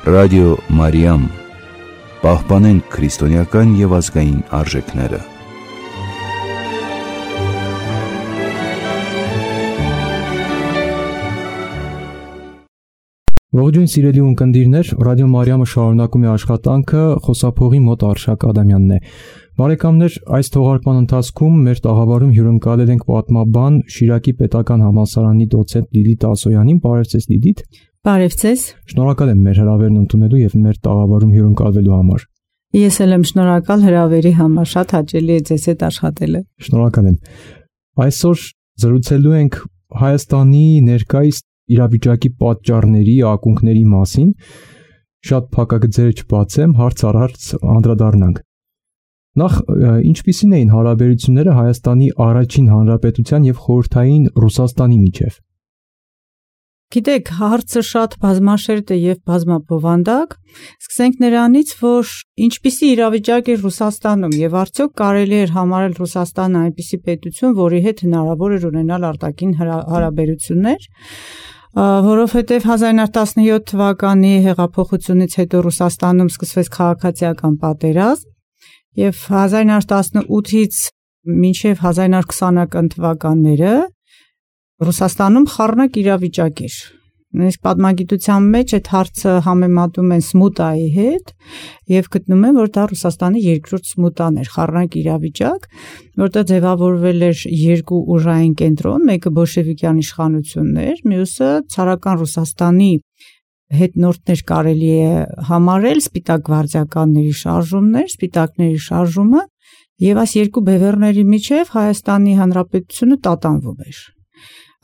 Ռադիո Մարիամ, պահպանենք քրիստոնեական և ազգային արժեքները։ Ողջույն սիրելի ունկնդիրներ, Ռադիո Մարիամը շարունակում է աշխատանքը, խոսափողի մոտ Արշակ Ադամյանն է։ Բարեկամներ, այս թողարկման ընթացքում մեր տաղավարում հյուրընկալել ենք պատմաբան Շիրակի պետական համալսարանի դոցենտ Լիլիթ Ասոյանին։ Բարև ձեզ, Լիլիթ։ Բարև ձեզ։ Շնորհակալ եմ մեր հրավերն ընդունելու եւ մեր տաղավարում հյուրընկալվելու համար։ Ես էլ եմ շնորհակալ հրավերի համար, շատ հաճելի է ձեզ հետ աշխատելը։ Շնորհակալ եմ։ Այսօր զրուցելու ենք Հայաստանի ներկայիս իրավիճակի պատճառների, ակունքների մասին։ Շատ փակագծերը չբացեմ, հարց առ հարց անդրադառնանք։ Նախ, ինչպիսին էին հարաբերությունները Հայաստանի առաջին հանրապետության եւ խորհրդային Ռուսաստանի միջև։ Գիտեք, հարցը շատ բազմաշերտ է եւ բազմաբովանդակ։ Սկսենք նրանից, որ ինչպիսի իրավիճակ է Ռուսաստանում եւ արդյոք կարելի է համարել Ռուսաստանը այնպիսի պետություն, որի հետ հնարավոր է ունենալ արտաքին հարաբերություններ, որովհետեւ 1917 թվականի հեղափոխությունից հետո Ռուսաստանում սկսվեց քաղաքացիական պատերազմ եւ 1918-ից մինչեւ 1920-ական թվականները Ռուսաստանում խառնակ իրավիճակ էր։ Նույնիսկ պատմագիտության մեջ այդ հարցը համեմատում են Սմուտայի հետ եւ գտնում են, որ դա Ռուսաստանի երկրորդ Սմուտան էր, խառնակ իրավիճակ, որտեղ ձևավորվել էր երկու ուժային կենտրոն, մեկը բոլշևիկյան իշխանությունն էր, մյուսը ցարական Ռուսաստանի հետնորդներ կարելի է համարել, սպիտակ գվարդիականների շարժումներ, սպիտակների շարժումը եւ այս երկու բևեռների միջև Հայաստանի Հանրապետությունը տատանվում էր։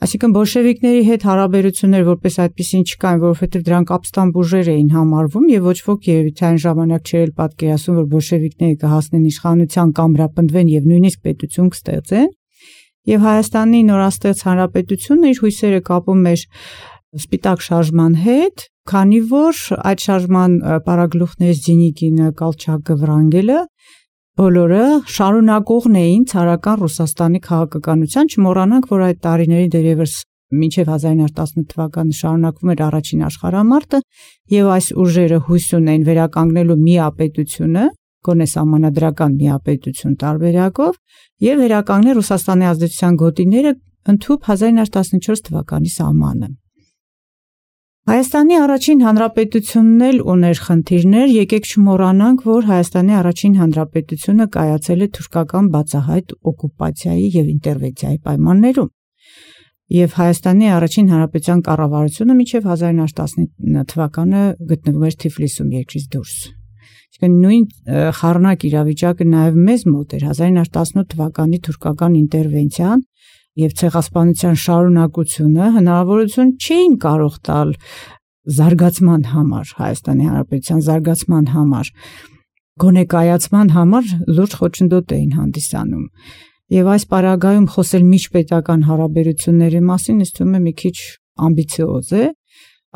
Այսինքն բոլշևիկների հետ հարաբերություններ որպես այդպեսին չկային, որովհետև դրանք ապստամբ ուժեր էին համարվում եւ ոչ ոք երևի այն ժամանակ չէր պատկերացնում, որ բոլշևիկները կհասնեն իշխանության կամ հրապնդվեն եւ նույնիսկ պետություն կստեղծեն։ Եւ Հայաստանի նորաստեղծ հանրապետությունը իր հույսերը կապում էր սպիտակ շարժման հետ, քանի որ այդ շարժման պարագլուխներից Ձինիկինը, Կալչակը, Վրանգելը բոլորը շարունակողն էին ցարական Ռուսաստանի քաղաքականության, չմոռանանք, որ այդ տարիների դերևս մինչև 1918 թվականը շարունակվում էր առաջին աշխարհամարտը եւ այս ուժերը հույս ունեն վերականգնելու միապետությունը, գոնե սահմանադրական միապետություն տարբերակով եւ վերականգնել Ռուսաստանի ազդեցության գոտիները ընդհուպ 1914 թվականի սահմանը։ Հայաստանի առաջին հանրապետությունն էլ ուներ խնդիրներ, եկեք չմոռանանք, որ Հայաստանի առաջին հանրապետությունը կայացել է թուրքական բացահայտ օկուպացիայի եւ ինտերվենցիայի պայմաններում։ Եվ Հայաստանի առաջին հանրապետության կառավարությունը մինչև 1919 թվականը գտնվում էր Թիֆլիսում երկրից դուրս։ Այսինքն նույն խառնակ իրավիճակը նաեւ մեզ մոտ էր 1918 թվականի թուրքական ինտերվենցիան եւ ցեղասպանության շարունակությունը հնարավորություն չէին կարող տալ զարգացման համար, Հայաստանի Հանրապետության զարգացման համար, գոնե կայացման համար լուրջ խոչընդոտ էին հանդիսանում։ Եվ այս պարագայում խոսել միջպետական հարաբերությունների մասին ինձ թվում է մի քիչ ամբիցիոզ է։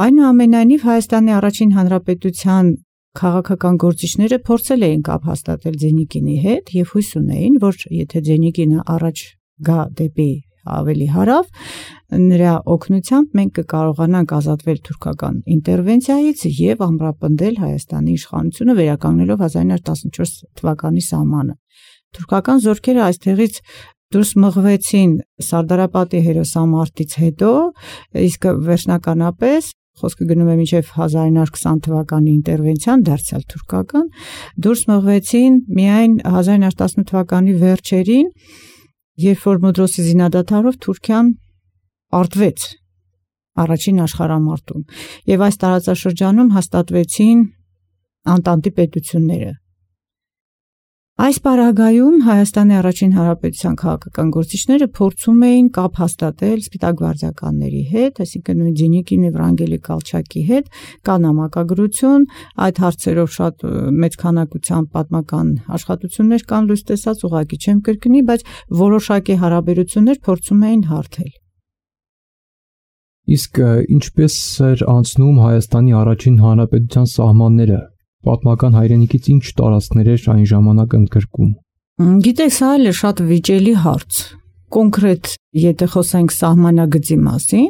Այնուամենայնիվ Հայաստանի առաջին հանրապետության քաղաքական գործիչները փորձել էին կապ հաստատել Ձենիկինի հետ եւ հույս ունեին, որ եթե Ձենիկինը առաջ գա դեպի ավելի հարավ, նրա օգնությամբ մենք կկարողանանք ազատվել թուրքական ինտերվենցիայից եւ ամրապնդել Հայաստանի իշխանությունը վերականգնելով 1914 թվականի սահմանը։ Թուրքական զորքերը այստեղից դուրս մղվեցին Սարդարապատի հերոսամարտից հետո, իսկ վերջնականապես խոսքը գնում է մինչև 1920 թվականի ինտերվենցիան, դարձյալ թուրքական, դուրս մղվեցին միայն 1918 թվականի վերջերին, երբ որ Մոդրոսի զինադադարով Թուրքիան պարտվեց առաջին աշխարհամարտում եւ այս տարածաշրջանում հաստատվեցին Անտանտի պետությունները։ Այս պարագայում Հայաստանի առաջին հանրապետության քաղաքական գործիչները փորձում էին կապ հաստատել սպիտակ գվարդիականների հետ, այսինքն նույն Ձինիկինի, Վրանգելի, Կալչակի հետ, կա նամակագրություն, այդ հարցերով շատ մեծ քանակությամբ պատմական աշխատություններ կան լույս տեսած, ուղղակի չեմ կրկնի, բայց որոշակի հարաբերություններ փորձում էին հարթել։ Իսկ ինչպես էր անցնում Հայաստանի առաջին հանրապետության սահմանները։ Պատմական հայրենիքից ինչ տարածքներ էր այն ժամանակ ընդգրկում։ Գիտեք, սա էլ է շատ վիճելի հարց։ կոնկրետ եթե խոսենք սահմանագծի մասին,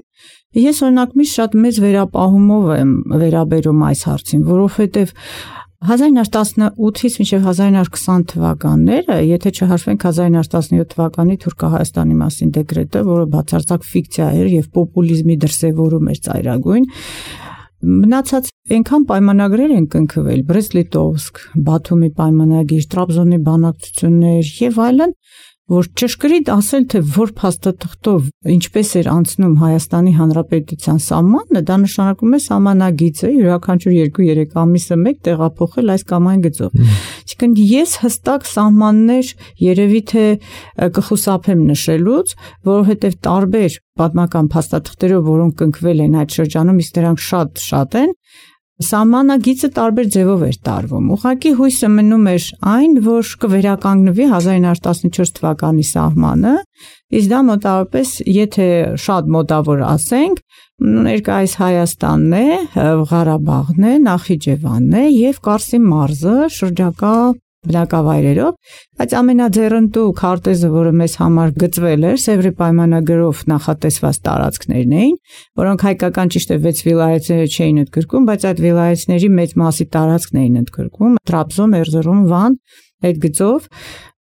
ես օրինակ միշտ շատ մեծ վերապահումով եմ վերաբերում այս հարցին, որովհետև 1918-ից մինչև 1920 թվականները, եթե չհաշվենք 1917 թվականի Թուրքահայաստանի մասին դեկրետը, որը բացարձակ ֆիկցիա էր եւ պոպուլիզմի դրսեւորում էր ծայրագույն, մնացած այնքան պայմանագրեր են կնքվել, Բրեստ-Լիտովսկ, Բաթումի պայմանագիր, Տրաբզոնի բանակցություններ եւ այլն, որ ճշգրիտ ասել, թե որ փաստաթղթով ինչպես էր անցնում Հայաստանի Հանրապետության սահմանը, դա նշանակում է սահմանագիծը յուրաքանչյուր 2-3 ամիսը մեկ տեղափոխել այս կամ այն գծով։ Այսինքն ես հստակ սահմաններ երևի թե կխուսափեմ նշելուց, որովհետև տարբեր պատմական փաստաթղթերով, որոնք կնքվել են այդ շրջանում, իսկ դրանք շատ են, սահմանագիծը տարբեր ձևով էր տարվում։ Ուղղակի հույսը մնում էր այն, որ կվերականգնվի 1914 թվականի սահմանը, իսկ դա մոտավորապես, եթե շատ մոտավոր ասենք, ներկայիս Հայաստանն է, Ղարաբաղն է, Նախիջևանն է եւ Կարսի մարզը շրջակա բնակավայրերով, բայց ամենաձեռնտու քարտեզը, որը մեզ համար գծվել էր, Սևրի պայմանագրով նախատեսված տարածքներն էին, որոնք հայկական ճիշտ է 6 վիլայեթները չէին ընդգրկում, բայց այդ վիլայեթների մեծ մասի տարածքն էին ընդգրկում, Տրաբզոն, Էրզրում, Վան, այդ գծով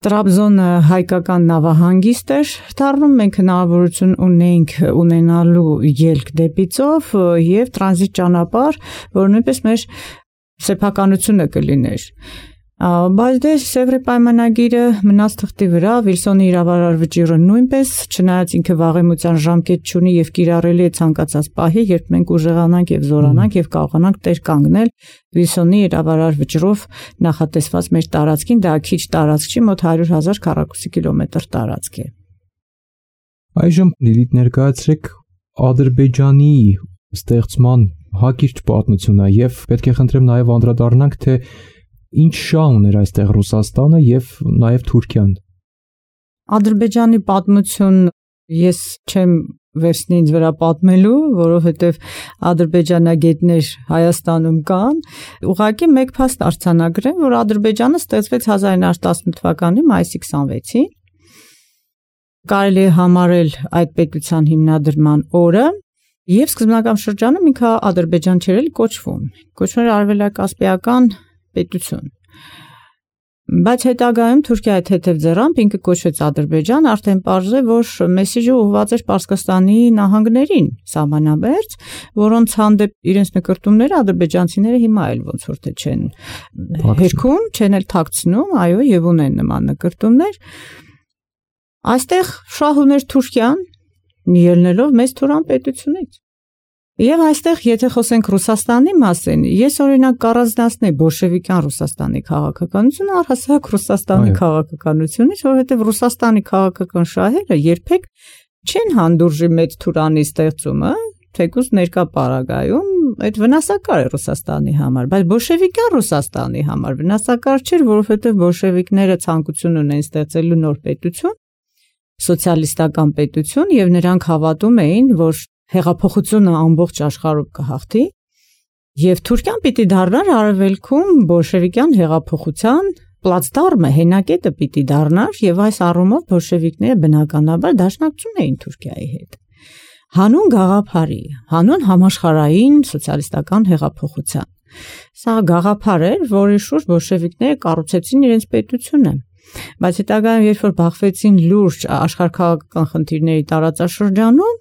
Տրաբզոնը հայկական նավահանգիստ էր դառնում, մենք հնարավորություն ունեինք ունենալու ելք դեպի ծով եւ տրանզիտ ճանապարհ, որ նույնպես մեր սեփականությունը կլիներ։ Բայց դե Սևրի պայմանագիրը մնաց թղթի վրա, Վիլսոնի իրավարար վճիռը նույնպես, չնայած ինքը վաղեմության ժամկետ չունի եւ կիրառելի է ցանկացած պահի, երբ մենք ուժեղանանք եւ զորանանք եւ կարողանանք տեր կանգնել Վիլսոնի իրավարար վճռով նախատեսված մեր տարածքին, դա քիչ տարածք չի, մոտ 100,000 քառակուսի կիլոմետր տարածք է։ Այժմ Լիլիթ ներկայացրեք Ադրբեջանի ստեղծման հակիրճ պատմությունը եւ պետք է խնդրեմ նաեւ անդրադառնանք, թե ինչ շահ ուներ այստեղ Ռուսաստանը եւ նաեւ Թուրքիան։ Ադրբեջանի պատմություն ես չեմ վերցնի ինձ վրա պատմելու, որովհետեւ ադրբեջանագետներ Հայաստանում կան, ուղղակի մեկ փաստ արձանագրեմ, որ Ադրբեջանը ստեղծվեց 1918 թվականի մայիսի 26-ին։ Կարելի է համարել այդ պետության հիմնադրման օրը եւ սկզբնական շրջանում ինքը Ադրբեջան չէր կոչվում։ Կոչվում էր Արևելակասպիական պետություն։ Բայց հետագայում Թուրքիայի թեթև ձեռամբ ինքը կոչվեց Ադրբեջան, արդեն պարզ է, որ մեսիջը ուղղված էր Պարսկաստանի նահանգներին, սահմանամերձ, որոնց հանդեպ իրենց նկրտումները ադրբեջանցիները հիմա էլ ոնց որ թե չեն հերքում, չեն էլ թաքցնում, այո, եւ ունեն նման նկրտումներ։ Այստեղ շահ ուներ Թուրքիան, ելնելով մեծ Թուրան պետությունից։ Եվ այստեղ, եթե խոսենք Ռուսաստանի մասին, ես օրինակ կառանձնացնեի բոլշևիկյան Ռուսաստանի քաղաքականությունը առհասարակ Ռուսաստանի քաղաքականությունից, որովհետև Ռուսաստանի քաղաքական շահերը երբեք չեն հանդուրժի մեծ Թուրանի ստեղծումը, թեկուզ ներկա պարագայում այդ վնասակար է Ռուսաստանի համար, բայց բոլշևիկյան Ռուսաստանի համար վնասակար չէր, որովհետև բոլշևիկները ցանկություն ունեն ստեղծելու նոր պետություն, սոցիալիստական պետություն, եւ նրանք հավատում էին, որ հեղափոխությունը ամբողջ աշխարհով կհաղթի եւ Թուրքիան պիտի դառնար արևելքում բոլշևիկյան հեղափոխության պլացդարմը, հենակետը պիտի դառնար եւ այս առումով բոլշևիկները բնականաբար դաշնակցում էին Թուրքիայի հետ։ Հանուն գաղափարի, հանուն համաշխարհային սոցիալիստական հեղափոխության։ Սա գաղափար էր, որի շուրջ բոլշևիկները կառուցեցին իրենց պետությունը։ Բայց հետագայում երբ որ բախվեցին լուրջ աշխարհքաղաքական խնդիրների տարածաշրջանում,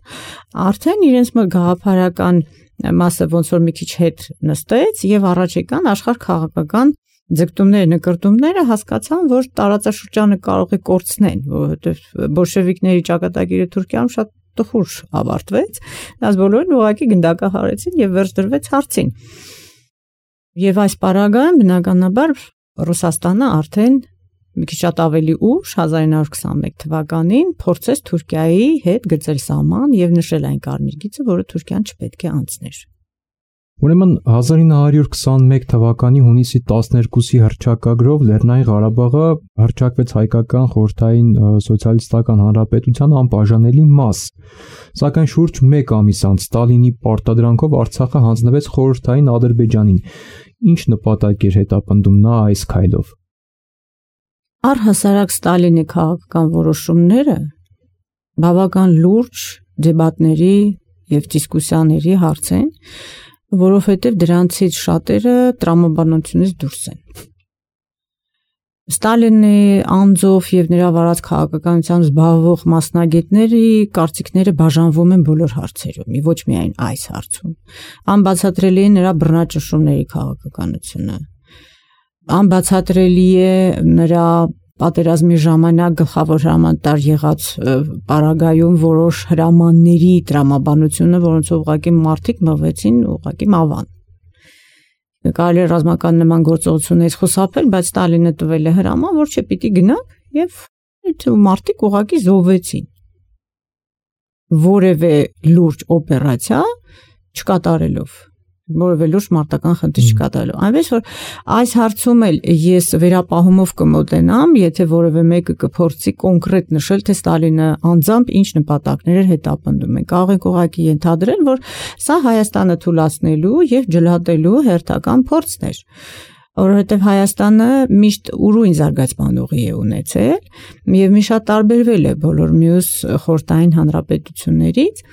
արդեն իրենց գաղափարական մասը ոնց որ մի քիչ հետ նստեց եւ առաջ եկան աշխարհքաղաքական ձգտումները, նկրտումները, հասկացան, որ տարածաշրջանը կարող է կորցնեն, որովհետեւ բոլշևիկների ճակատագիրը Թուրքիայում շատ տխուր ավարտվեց, դրանց բոլորին ուղղակի գնդակահարեցին եւ վերջ դրվեց հարցին։ Եվ այս պարագայում բնականաբար Ռուսաստանը արդեն մի քիչ շատ ավելի ուշ 1921 թվականին փորձեց Թուրքիայի հետ գծել սահման եւ նշել այն կարմիր գիծը, որը Թուրքիան չպետք է անցներ։ Ուրեմն 1921 թվականի հունիսի 12-ի հռչակագրով Լեռնային Ղարաբաղը հռչակվեց հայկական խորհրդային սոցիալիստական հանրապետության անբաժանելի մաս։ Սակայն շուրջ 1 ամիս անց Ստալինի պարտադրանքով Արցախը հանձնվեց խորհրդային Ադրբեջանին։ Ինչ նպատակ էր հետապնդում նա այս քայլով։ Առհասարակ Ստալինի քաղաքական որոշումները բավական լուրջ դեբատների եւ դիսկուսիաների հարց են, որովհետեւ դրանցից շատերը տրամաբանությունից դուրս են։ Ստալինի անձով եւ նրա վարած քաղաքականությամբ զբաղվող մասնագետների կարծիքները բաժանվում են բոլոր հարցերում, ոչ միայն այս հարցում։ Անբացատրելի է նրա բռնաճնշումների քաղաքականությունը։ Անբացատրելի է նրա պատերազմի ժամանակ գլխավոր հրամանատար եղած պարագայում որոշ հրամանների տրամաբանությունը, որոնցով ուղղակի մարդիկ մղվեցին ուղղակի մավան։ Կարելի է ռազմական նման գործողություններից խուսափել, բայց Ստալինը տվել է հրաման, որ չպիտի գնաք եւ մարդիկ ուղղակի զոհվեցին։ Որևէ լուրջ օպերացիա չկատարելով, որևէ լուրջ մարտական խնդիր չկատարելով։ Այնպես որ այս հարցում էլ ես վերապահումով կմոտենամ, եթե որևէ մեկը կփորձի կոնկրետ նշել, թե Ստալինը անձամբ ինչ նպատակներ էր հետապնդում։ Մենք կարող ենք ուղղակի ենթադրել, որ սա Հայաստանը թուլացնելու եւ ջլատելու հերթական փորձն էր, որովհետեւ Հայաստանը միշտ ուրույն զարգացման ուղի է ունեցել եւ մի շատ տարբերվել է բոլոր մյուս խորհրդային հանրապետություններից։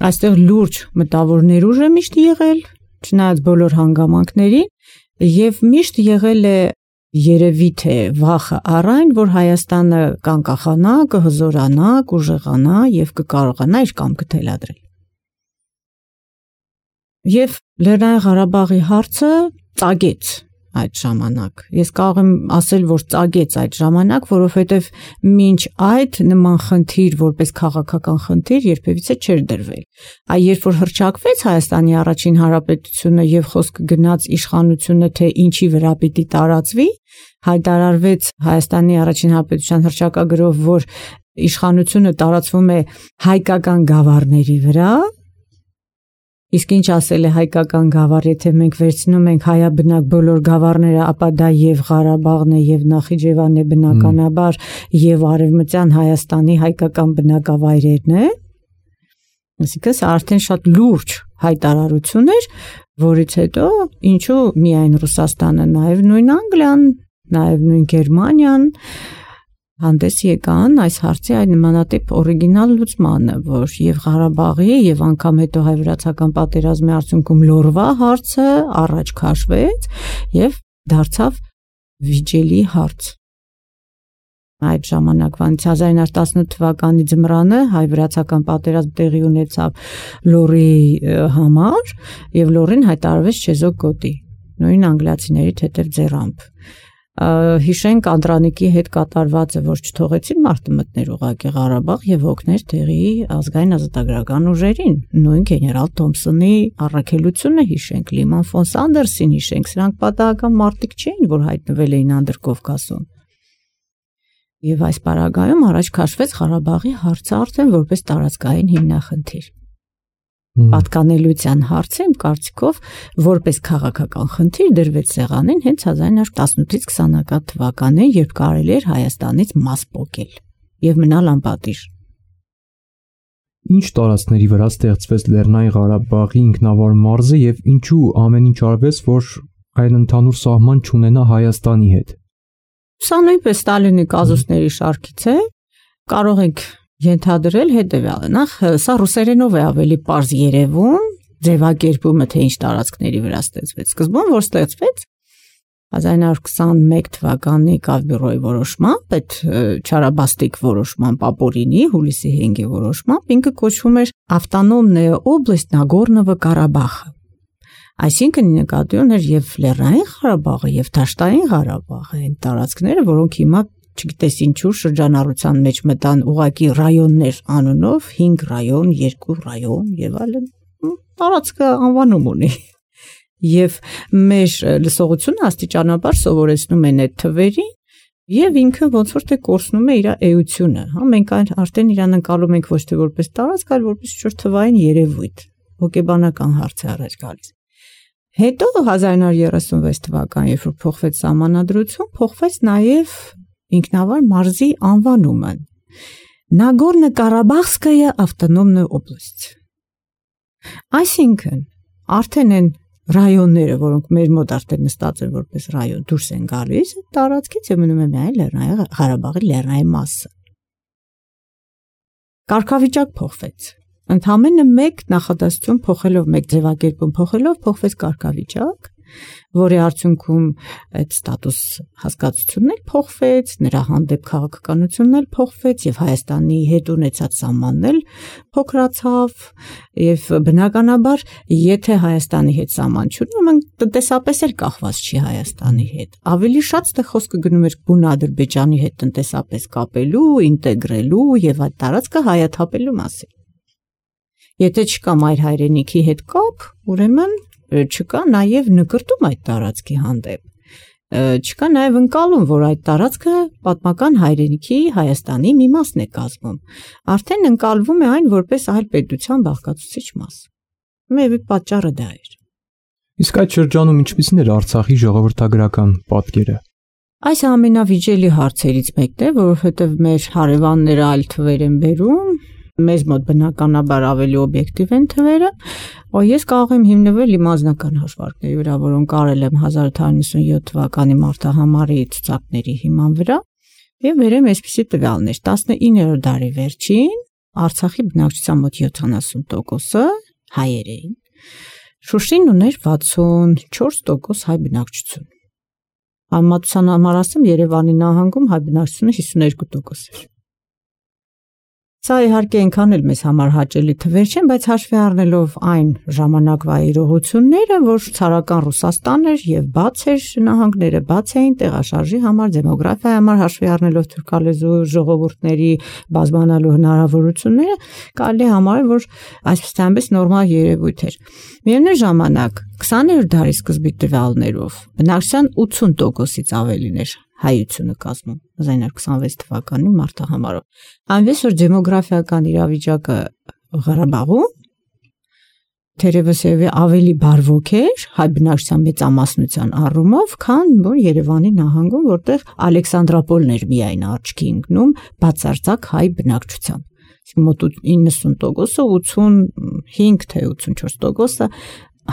Այստեղ լուրջ մտավոր ներուժ է միշտ եղել, չնայած բոլոր հանգամանքներին, եւ միշտ եղել է երևի թե վախը առայն, որ Հայաստանը կանկախանա, կհզորանա, կուժեղանա եւ կկարողանա իր կամքը թելադրել։ Եվ Լեռնային Ղարաբաղի հարցը ծագեց այդ ժամանակ։ Ես կարող եմ ասել, որ ծագեց այդ ժամանակ, որովհետև մինչ այդ նման խնդիր, որպես քաղաքական խնդիր, երբևիցե չէր դրվել։ Այ երբ որ հռչակվեց Հայաստանի առաջին հանրապետությունը եւ խոսքը գնաց իշխանությունը, թե ինչի վրա պիտի տարածվի, հայտարարվեց Հայաստանի առաջին հանրապետության հռչակագրով, որ իշխանությունը տարածվում է հայկական գավառների վրա։ Իսկ ինչ ասել է հայկական գավառ, եթե մենք վերցնում ենք հայաբնակ բոլոր գավառները, ապա դա եւ Ղարաբաղն է, եւ Նախիջևանն է բնականաբար, եւ Արևմտյան Հայաստանի հայկական բնակավայրերն է։ Այսինքն սա արդեն շատ լուրջ հայտարարություն էր, որից հետո ինչու միայն Ռուսաստանը, նաեւ նույն Անգլիան, նաեւ նույն Գերմանիան հանդես եկան այս հարցի այդ նմանատիպ օրիգինալ լուծմանը, որ եւ Ղարաբաղի եւ անգամ հետո հայ-վրացական պատերազմի արդյունքում Լորվա հարցը առաջ քաշվեց եւ դարձավ վիճելի հարց։ Այդ ժամանակվանից 1918 թվականի ձմռանը հայ-վրացական պատերազմ տեղի ունեցավ Լորի համար եւ Լորին հայտարարվեց չեզոք գոտի, նույն անգլիացիների թեթև ձեռամբ։ Հիշենք Անդրանիկի հետ կատարվածը, որ չթողեցին մարդը մտներ ուղղակի Ղարաբաղ եւ օգներ տեղի ազգային ազատագրական ուժերին, նույն գեներալ Թոմսոնի առաքելությունը հիշենք, Լիման ֆոն Սանդերսին հիշենք, սրանք պատահական մարդիկ չէին, որ հայտնվել էին Անդրկովկասում։ Եվ այս պարագայում առաջ քաշվեց Ղարաբաղի հարցը արդեն որպես տարածքային հիմնախնդիր։ Պատկանելիության հարցը իմ կարծիքով որպես քաղաքական խնդիր դրվեց սեղանին հենց 1918-ից 20-ական թվականին, երբ կարելի էր Հայաստանից մաս պոկել եւ մնալ անպատիժ։ Ինչ տարածքների վրա ստեղծվեց Լեռնային Ղարաբաղի ինքնավար մարզը եւ ինչու ամեն ինչ արվեց, որ այն ընդհանուր սահման չունենա Հայաստանի հետ։ Սա նույնպես Ստալինի կազուսների շարքից է, կարող ենք ենթադրել հետևյալը, նախ սա ռուսերենով է ավելի պարզ երևում, ձևակերպումը թե ինչ տարածքների վրա ստեղծվեց։ Սկզբում որ ստեղծվեց 1921 թվականի Կավբյուրոյի որոշմամբ, այդ չարաբաստիկ որոշմամբ, ապօրինի հուլիսի 5-ի որոշմամբ, ինքը կոչվում էր Ավտոնոմնaya օբլաստ Նագորնովո Ղարաբաղը։ Այսինքն նկատի ուներ եւ Լեռնային Ղարաբաղը եւ Դաշտային Ղարաբաղը, այն տարածքները, որոնք հիմա չգիտես ինչու շրջանառության մեջ մտան ուղակի ռայոններ անունով, 5 ռայոն, 2 ռայոն եւ այլն, տարածքը անվանում ունի։ Եվ մեր լսողությունը աստիճանաբար սովորեցնում են այդ թվերին եւ ինքը ոնց որ թե կորցնում է իր էությունը, հա, մենք արդեն իրան ընկալում ենք ոչ թե որպես տարածք, այլ որպես ինչ-որ թվային երևույթ, հոգեբանական հարց է առաջ գալիս։ Հետո 1936 թվական, երբ որ փոխվեց սահմանադրություն, փոխվեց նաեւ ինքնավար մարզի անվանումը Նագորնո-Ղարաբաղսկայա ավտոնոմնaya օբլաստ։ Այսինքն արդեն են ռայոնները, որոնք մեր մոտ արդեն նստած են որպես ռայոն, դուրս են գալիս այդ տարածքից եւ մնում է միայն Լեռնային Ղարաբաղի լեռնային մասը։ Կարգավիճակ փոխվեց։ Ընդամենը մեկ նախադասություն փոխելով, մեկ ձևակերպում փոխելով փոխվեց կարգավիճակ, որի արդյունքում այդ ստատուս հասկացությունն էլ փոխվեց, նրա հանդեպ քաղաքականությունն էլ փոխվեց եւ Հայաստանի հետ ունեցած սահմանն էլ փոքրացավ եւ բնականաբար եթե Հայաստանի հետ սահման չունի, մենք տնտեսապես էլ կախված չի Հայաստանի հետ։ Ավելի շատ դե խոսքը գնում էր բուն Ադրբեջանի հետ տնտեսապես կապելու, ինտեգրելու եւ այդ տարածքը հայաթափելու մասին։ Եթե չկա մայր հայրենիքի հետ կապ, ուրեմն չկա նաև նկրտում այդ տարածքի հանդեպ, չկա նաև ընկալում, որ այդ տարածքը պատմական հայրենիքի Հայաստանի մի մասն է կազմում, արդեն ընկալվում է այն որպես այլ պետության բաղկացուցիչ մաս, մեր պատճառը դա էր։ Իսկ այդ շրջանում ինչպիսին էր Արցախի ժողովրդագրական պատկերը։ Այս ամենավիճելի հարցերից մեկն է, որովհետև մեր հարևանները այլ թվեր են բերում, մեզ մոտ բնականաբար ավելի օբյեկտիվ են թվերը, ես կարող եմ հիմնվել իմ անձնական հաշվարկների վրա, որոնք արել եմ 1897 թվականի մարտահամարի ցուցակների հիման վրա, եւ վերեմ այսպիսի տվյալներ. 19-րդ դարի վերջին Արցախի բնակչության մոտ 70%-ը հայեր էին։ Շուշին ուներ 64% հայ բնակչություն։ Համեմատության համար ասեմ, Երևանի նահանգում հայ բնակչությունը 52% էր։ Սա իհարկե այնքան էլ մեզ համար հաճելի թվեր չեն, բայց հաշվի առնելով այն ժամանակվա իրողությունները, որ ցարական Ռուսաստան էր եւ բաց էր նահանգները, բաց էին տեղաշարժի համար, դեմոգրաֆիայի համար, հաշվի առնելով թուրքալեզու ժողովուրդների բազմանալու հնարավորությունները, կարելի է համարել, որ այսպես նորմալ երևույթ էր։ Միևնույն ժամանակ 20-րդ դարի սկզբի տվյալներով բնակչության 80%-ից ավելին էր հայությունը կազմում 1926 թվականի մարտահամարով։ Այնպես որ դեմոգրաֆիական իրավիճակը Ղարաբաղում թերևս ավելի բարվոք էր հայ բնակչության մեծամասնության առումով, քան որ Երևանի նահանգում, որտեղ Ալեքսանդրապոլն էր միայն աչքի ընկնում բացարձակ հայ բնակչության։ Մոտ 90%-ը, 85 թե 84%-ը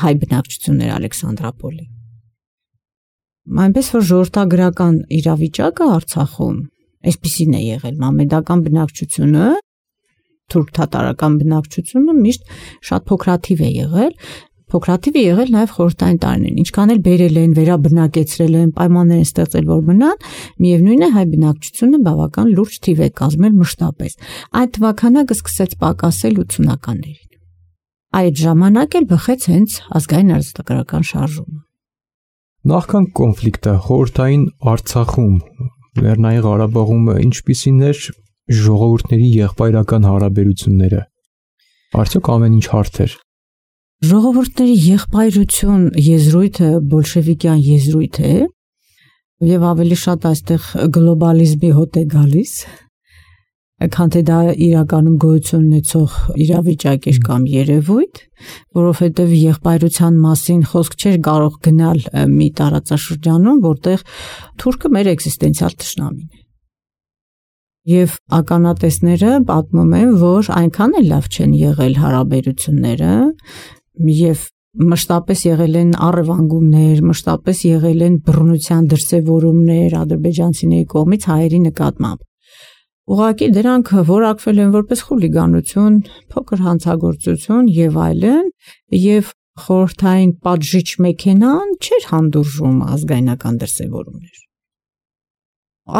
հայ բնակչությունն էր Ալեքսանդրապոլի։ Այնպես որ ժողովրդագրական իրավիճակը Արցախում այսպիսին է եղել, մամեդական բնակչությունը, թուրք-թաթարական բնակչությունը միշտ շատ փոքրաթիվ է եղել, փոքրաթիվ է եղել նաև խորհրդային տարիներին, ինչքան էլ բերել են, վերաբնակեցրել են, պայմաններ են ստեղծել, որ մնան, միևնույն է հայ բնակչությունը բավական լուրջ թիվ է կազմել մշտապես։ Այդ թվականակը սկսեց պակասել 80-ականներին։ Այդ ժամանակ էլ բխեց հենց ազգային ազատագրական շարժումը։ Նախքան կոնֆլիկտը խորհրդային Արցախում, Լեռնային Ղարաբաղում ինչպիսին էր ժողովուրդների եղբայրական հարաբերությունները։ Արդյոք ամեն ինչ հարթ էր։ Ժողովուրդների եղբայրություն եզրույթը բոլշևիկյան եզրույթ է, եւ ավելի շատ այստեղ գլոբալիզմի հոտ է գալիս, քան թե դա իրականում գոյություն ունեցող իրավիճակ էր կամ երևույթ, որովհետև եղբայրության մասին խոսք չէր կարող գնալ մի տարածաշրջանում, որտեղ թուրքը մեր էքզիստենցիալ թշնամին է։ Եվ ականատեսները պատմում են, որ այնքան էլ լավ չեն եղել հարաբերությունները, եւ մշտապես եղել են առևանգումներ, մշտապես եղել են բռնության դրսևորումներ ադրբեջանցիների կողմից հայերի նկատմամբ։ Ուղղակի դրանք որակվել են որպես խուլիգանություն, փոքր հանցագործություն եւ այլն, եւ խորհրդային պատժիչ մեքենան չէր հանդուրժում ազգայնական դրսևորումներ։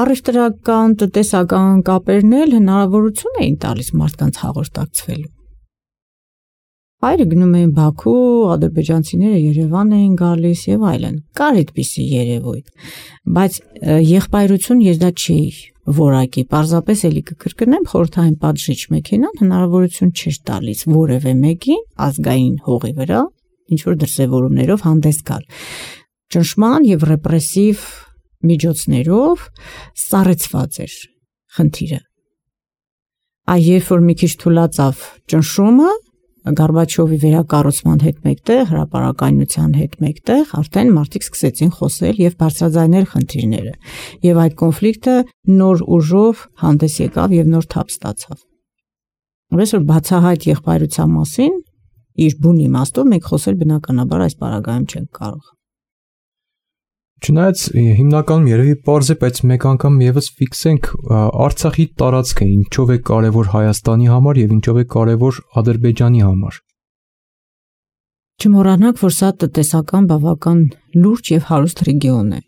Առևտրական, տնտեսական կապերն էլ հնարավորություն էին տալիս մարդկանց հաղորդակցվելու։ Հայերը գնում էին Բաքու, ադրբեջանցիները Երևան էին գալիս եւ այլն։ Կար այդպիսի երևույթ, բայց եղբայրություն ես դա չի որակի, պարզապես էլի կկրկնեմ, խորհրդային պատժիչ մեքենան հնարավորություն չէր տալիս որևէ մեկին ազգային հողի վրա ինչ որ դրսևորումներով հանդես գալ։ Ճնշման եւ ռեպրեսիվ միջոցներով սառեցված էր խնդիրը։ Երբ որ մի քիչ թուլացավ ճնշումը, Գորբաչովի վերակառուցման հետ մեկտեղ, հրապարակայնության հետ մեկտեղ, արդեն մարդիկ սկսեցին խոսել եւ բարձրաձայնել խնդիրները։ Եվ այդ կոնֆլիկտը նոր ուժով հանդես եկավ եւ նոր թափ ստացավ։ Այնպես որ բացահայտ եղբայրության մասին իր բուն իմաստով մենք խոսել բնականաբար այս պարագայում չենք կարող։ Չնայած հիմնականում երևի պարզ է, բայց մեկ անգամ եւս ֆիքսենք Արցախի տարածքը ինչով է կարևոր Հայաստանի համար եւ ինչով է կարևոր Ադրբեջանի համար։ Չմոռանանք, որ սա տնտեսական բավական լուրջ եւ հարուստ ռեգիոն է։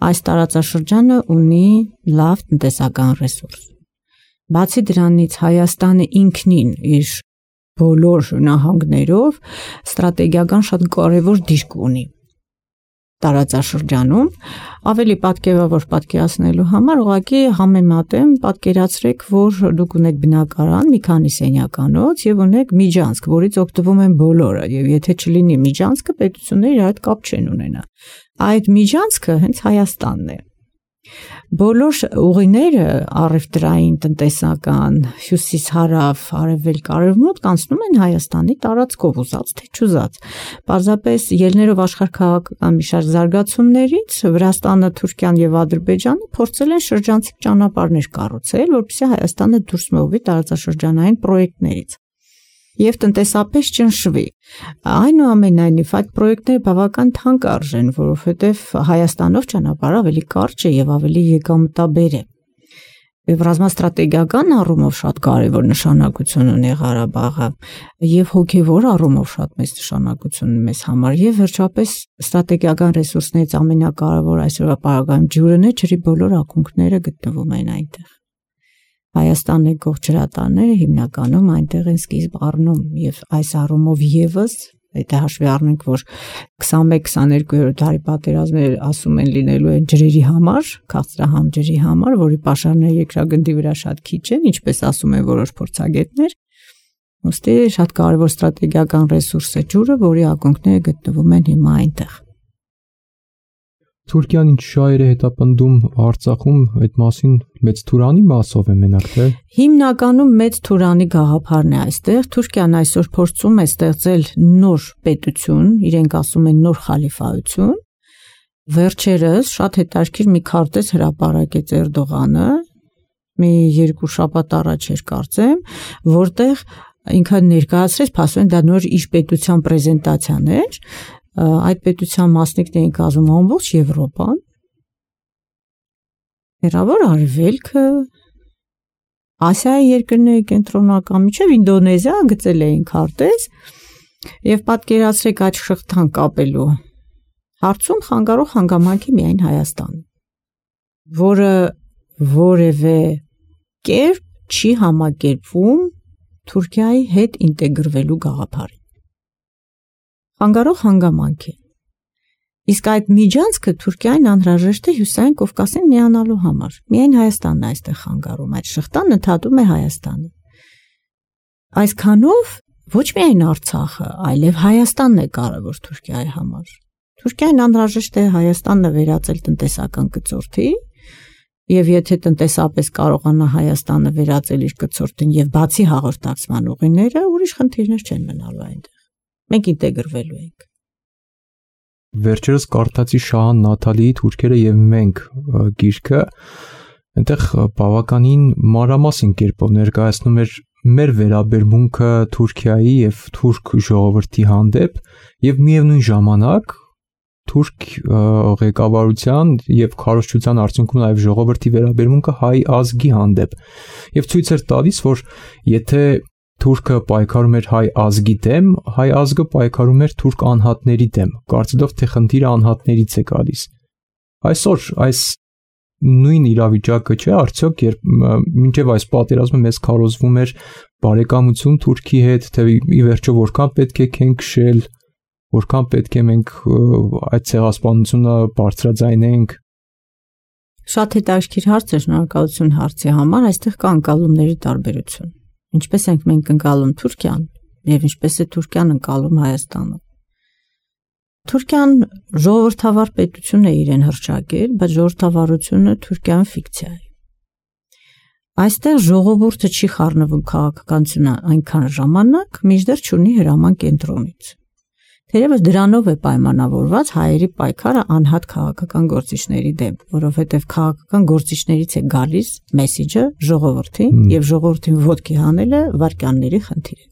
Այս տարածաշրջանը ունի լավ տնտեսական ռեսուրս։ Բացի դրանից Հայաստանը ինքնին իր բոլոր նահանգներով ստրատեգիական շատ կարևոր դիրք ունի տարածաշրջանում, ավելի պատկերավոր պատկերացնելու համար ուղղակի համեմատեմ, պատկերացրեք, որ դուք ունեք բնակարան, մի քանի սենյականոց եւ ունեք միջանցք, որից օգտվում են բոլորը, եւ եթե չլինի միջանցքը, պետությունները իր հետ կապ չեն ունենա։ Այդ միջանցքը հենց Հայաստանն է։ Բոլոր ուղիները առևտրային, տնտեսական, հյուսիս-հարավ, արևելք, արևմուտք անցնում են Հայաստանի տարածքով, ուզած թե չուզած։ Պարզապես ելներով աշխարհաքաղաքական մի շարք զարգացումներից Վրաստանը, Թուրքիան եւ Ադրբեջանը փորձել են շրջանցիկ ճանապարհներ կառուցել, որպեսզի Հայաստանը դուրս մողվի տարածաշրջանային պրոյեկտներից եւ տնտեսապես ճնշվի։ Այնուամենայնիվ այդ պրոյեկտները բավական թանկ արժեն, որովհետեւ Հայաստանով ճանապարհը ավելի կարճ է եւ ավելի եկամտաբեր է։ Եվ ռազմաստրատեգիական առումով շատ կարևոր նշանակություն ունի Ղարաբաղը եւ հոգեվոր առումով շատ մեծ նշանակություն ունի մեզ համար եւ վերջապես ստրատեգիական ռեսուրսներից ամենակարևոր այսօրվա պարագայում ջուրն է, ջրի բոլոր ակունքները գտնվում են այնտեղ։ Հայաստանի եկող ջրատարները հիմնականում այնտեղ են սկիզբ առնում եւ այս առումով եւս եթե հաշվի առնենք, որ 21-22-րդ դարի պատերազմները ասում են լինելու են ջրերի համար, քաղցրահամ ջրի համար, որի պաշարները երկրագնդի վրա շատ քիչ են, ինչպես ասում են որոշ փորձագետներ, ուստի շատ կարևոր ստրատեգիական ռեսուրս է ջուրը, որի ակունքները գտնվում են հիմա այնտեղ։ Թուրքիան ինչ շահեր է հետապնդում Արցախում, այդ մասին մեծ Թուրանի մասով է մենակ թե։ Հիմնականում մեծ Թուրանի գաղափարն է այստեղ։ Թուրքիան այսօր փորձում է ստեղծել նոր պետություն, իրենք ասում են նոր խալիֆայություն։ Վերջերս շատ հետաքրքիր մի քարտեզ հրապարակեց Էրդողանը, մի 2 շաբաթ առաջ էր կարծեմ, որտեղ ինքը ներկայացրեց, ասում են դա նոր իր պետության պրեզենտացիան էր։ Այդ պետության մասնիկներին կազմում ամբողջ Եվրոպան, Հեռավոր Արևելքը, Ասիայի երկրների կենտրոնական միջև Ինդոնեզիա գծել էին քարտեզ եւ պատկերացրեք այդ շղթան կապելու հարցում խանգարող հանգամանքի միայն Հայաստանը, որը որևէ կերպ չի համակերպվում Թուրքիայի հետ ինտեգրվելու գաղափարին։ Խանգարող հանգամանք է։ Իսկ այդ միջանցքը Թուրքիային անհրաժեշտ է Հյուսիսային Կովկասին միանալու համար։ Միայն Հայաստանն է այստեղ խանգարում, այդ շղթան ընդհատում է Հայաստանը։ Այսքանով ոչ միայն Արցախը, այլև Հայաստանն է կարևոր Թուրքիայի համար։ Թուրքիային անհրաժեշտ է Հայաստանը վերածել տնտեսական կցորդի, եւ եթե տնտեսապես կարողանա Հայաստանը վերածել իր կցորդին եւ բացի հաղորդակցման ուղիները, ուրիշ խնդիրներ չեն մնալու այնտեղ։ Մենք ինտեգրվելու ենք։ Վերջերս կարդացի Շահան Նաթալիի Թուրքերը եւ մենք գիրքը, այնտեղ բավականին մանրամասն կերպով ներկայացնում էր մեր վերաբերմունքը Թուրքիայի եւ թուրք ժողովրդի հանդեպ եւ միևնույն ժամանակ թուրք ղեկավարության եւ քարոզչության արդյունքում նաեւ ժողովրդի վերաբերմունքը հայ ազգի հանդեպ եւ ցույց էր տալիս, որ եթե թուրքը պայքարում էր հայ ազգի դեմ, հայ ազգը պայքարում էր թուրք անհատների դեմ, կարծելով թե խնդիրը անհատներից է գալիս։ Այսօր այս նույն իրավիճակը չէ, արդյոք երբ մինչև այս պատերազմը մեզ քարոզվում էր բարեկամություն Թուրքի հետ, թե ի վերջո որքան պետք է քենքշել, որքան պետք է մենք այդ ցեղասպանությունը բարձրաձայնենք։ Շատ հետաքրքիր հարց է, շնորհակալություն հարցի համար, այստեղ կա ընկալումների տարբերություն։ Ինչպես ենք մենք ընկալում Թուրքիան եւ ինչպես է Թուրքիան ընկալում Հայաստանը։ Թուրքիան ժողովրդավար պետություն է իրեն հռչակել, բայց ժողովրդավարությունը Թուրքիան ֆիկցիա է։ Այստեղ ժողովուրդը չի խառնվում քաղաքականությունը այնքան ժամանակ, մինչդեռ չունի հրաման կենտրոնից։ Թերևս դրանով է պայմանավորված հայերի պայքարը անհատ քաղաքական գործիչների դեմ, որովհետև քաղաքական գործիչներից է գալիս մեսիջը ժողովրդին եւ ժողովրդին ոտքի հանելը վարկանների խնդիր է։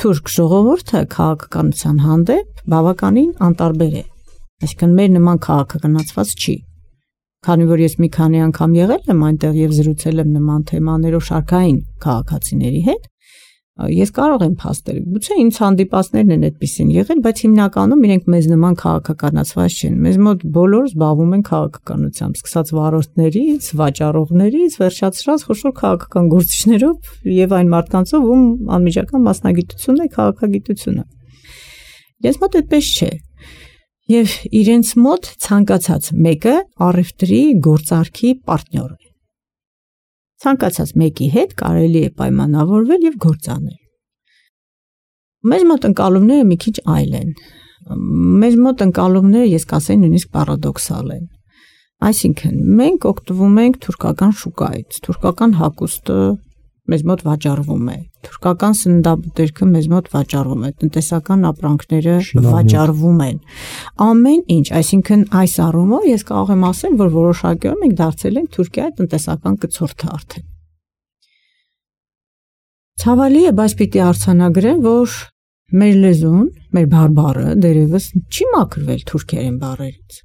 թուրք ժողովուրդը քաղաքականության հանդեպ բավականին անտարբեր է։ Այսինքն մեր նման քաղաքականացված չի։ Քանի որ ես մի քանի անգամ եղել եմ այնտեղ եւ զրուցել եմ նման թեմաներով շարքային քաղաքացիների հետ, ես կարող եմ փաստել, գուցե ինձ հանդիպածներն են այդպեսին եղել, բայց հիմնականում իրենք մեզ նման քաղաքականացված չեն։ Մեզ մոտ բոլորը զբաղվում են քաղաքականությամբ, սկսած վարորդներից, վաճառողներից, վերջացրած խոշոր քաղաքական գործիչներով եւ այն մարդկանցով, ում անմիջական մասնագիտությունն է քաղաքագիտությունը։ Ես մոտ այդպես չէ։ Եվ իրենց մոտ ցանկացած մեկը առևտրի գործարքի պարտներ է։ Ցանկացած մեկի հետ կարելի է պայմանավորվել եւ գործ անել։ Մեր մոտ ընկալումները մի քիչ այլ են։ Մեր մոտ ընկալումները, ես կասեի, նույնիսկ պարադոքսալ են։ Այսինքն, մենք օգտվում ենք թուրքական շուկայից, թուրքական հագուստը մեզ մոտ վաճառվում է, թուրքական սննդաբուտերքը մեզ մոտ վաճառվում է, տնտեսական ապրանքները վաճառվում են։ Ամեն ինչ, այսինքն այս առումով ես կարող եմ ասել, որ որոշակիորեն մենք դարձել ենք Թուրքիայի տնտեսական կցորդը արդեն։ Ցավալի է, բայց պիտի արձանագրեմ, որ մեր լեզուն, մեր բարբառը դերևս չի մաքրվել թուրքերեն բառերից։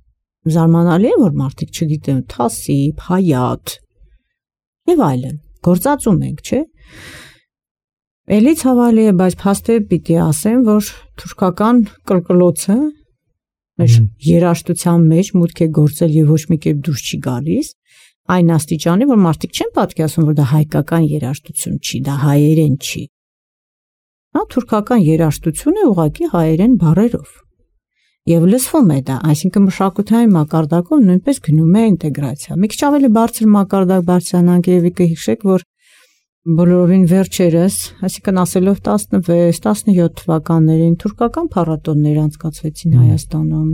Զարմանալի է, որ մարդիկ չգիտեն թասիբ, հայատ եւ այլն։ Գործածում ենք, չէ՞։ Էլի ցավալի է, բայց փաստը պիտի ասեմ, որ թուրքական կրկլոցը մեր երաժշտության մեջ մուտք է գործել եւ ոչ մի կերպ դուրս չի գալիս, այն աստիճանի, որ մարդիկ չեն պատկերացնում, որ դա հայկական երաժշտություն չի, դա հայերեն չի։ Հա, թուրքական երաժշտություն է ուղղակի հայերեն բառերով։ Եվ լսվում է դա, այսինքն մշակութային մակարդակով նույնպես գնում է ինտեգրացիա։ Մի քիչ ավելի բարձր մակարդակ բարձրանանք եւ կհիշեք, որ բոլորովին վերջերս, այսինքն ասելով 16-17 թվականներին թուրքական փառատոներ անցկացվեցին Հայաստանում։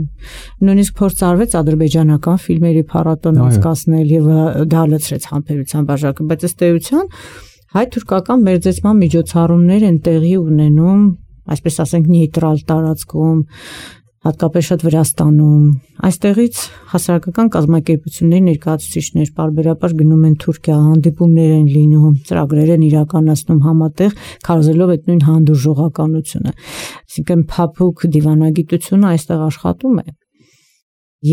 Նույնիսկ փորձ արվեց ադրբեջանական ֆիլմերի փառատոն անցկացնել եւ դա լցրեց համբերության բաժակը, բայց ըստ էության հայ-թուրքական մերձեցման միջոցառումներ են տեղի ունենում, այսպես ասենք, նեյտրալ տարածքում, հատկապես շատ Վրաստանում։ Այստեղից հասարակական կազմակերպությունների ներկայացուցիչներ պարբերաբար գնում են Թուրքիա, հանդիպումներ են լինում, ծրագրեր են իրականացնում համատեղ, քարոզելով այդ նույն հանդուրժողականությունը։ Այսինքն փափուկ դիվանագիտությունը այստեղ աշխատում է։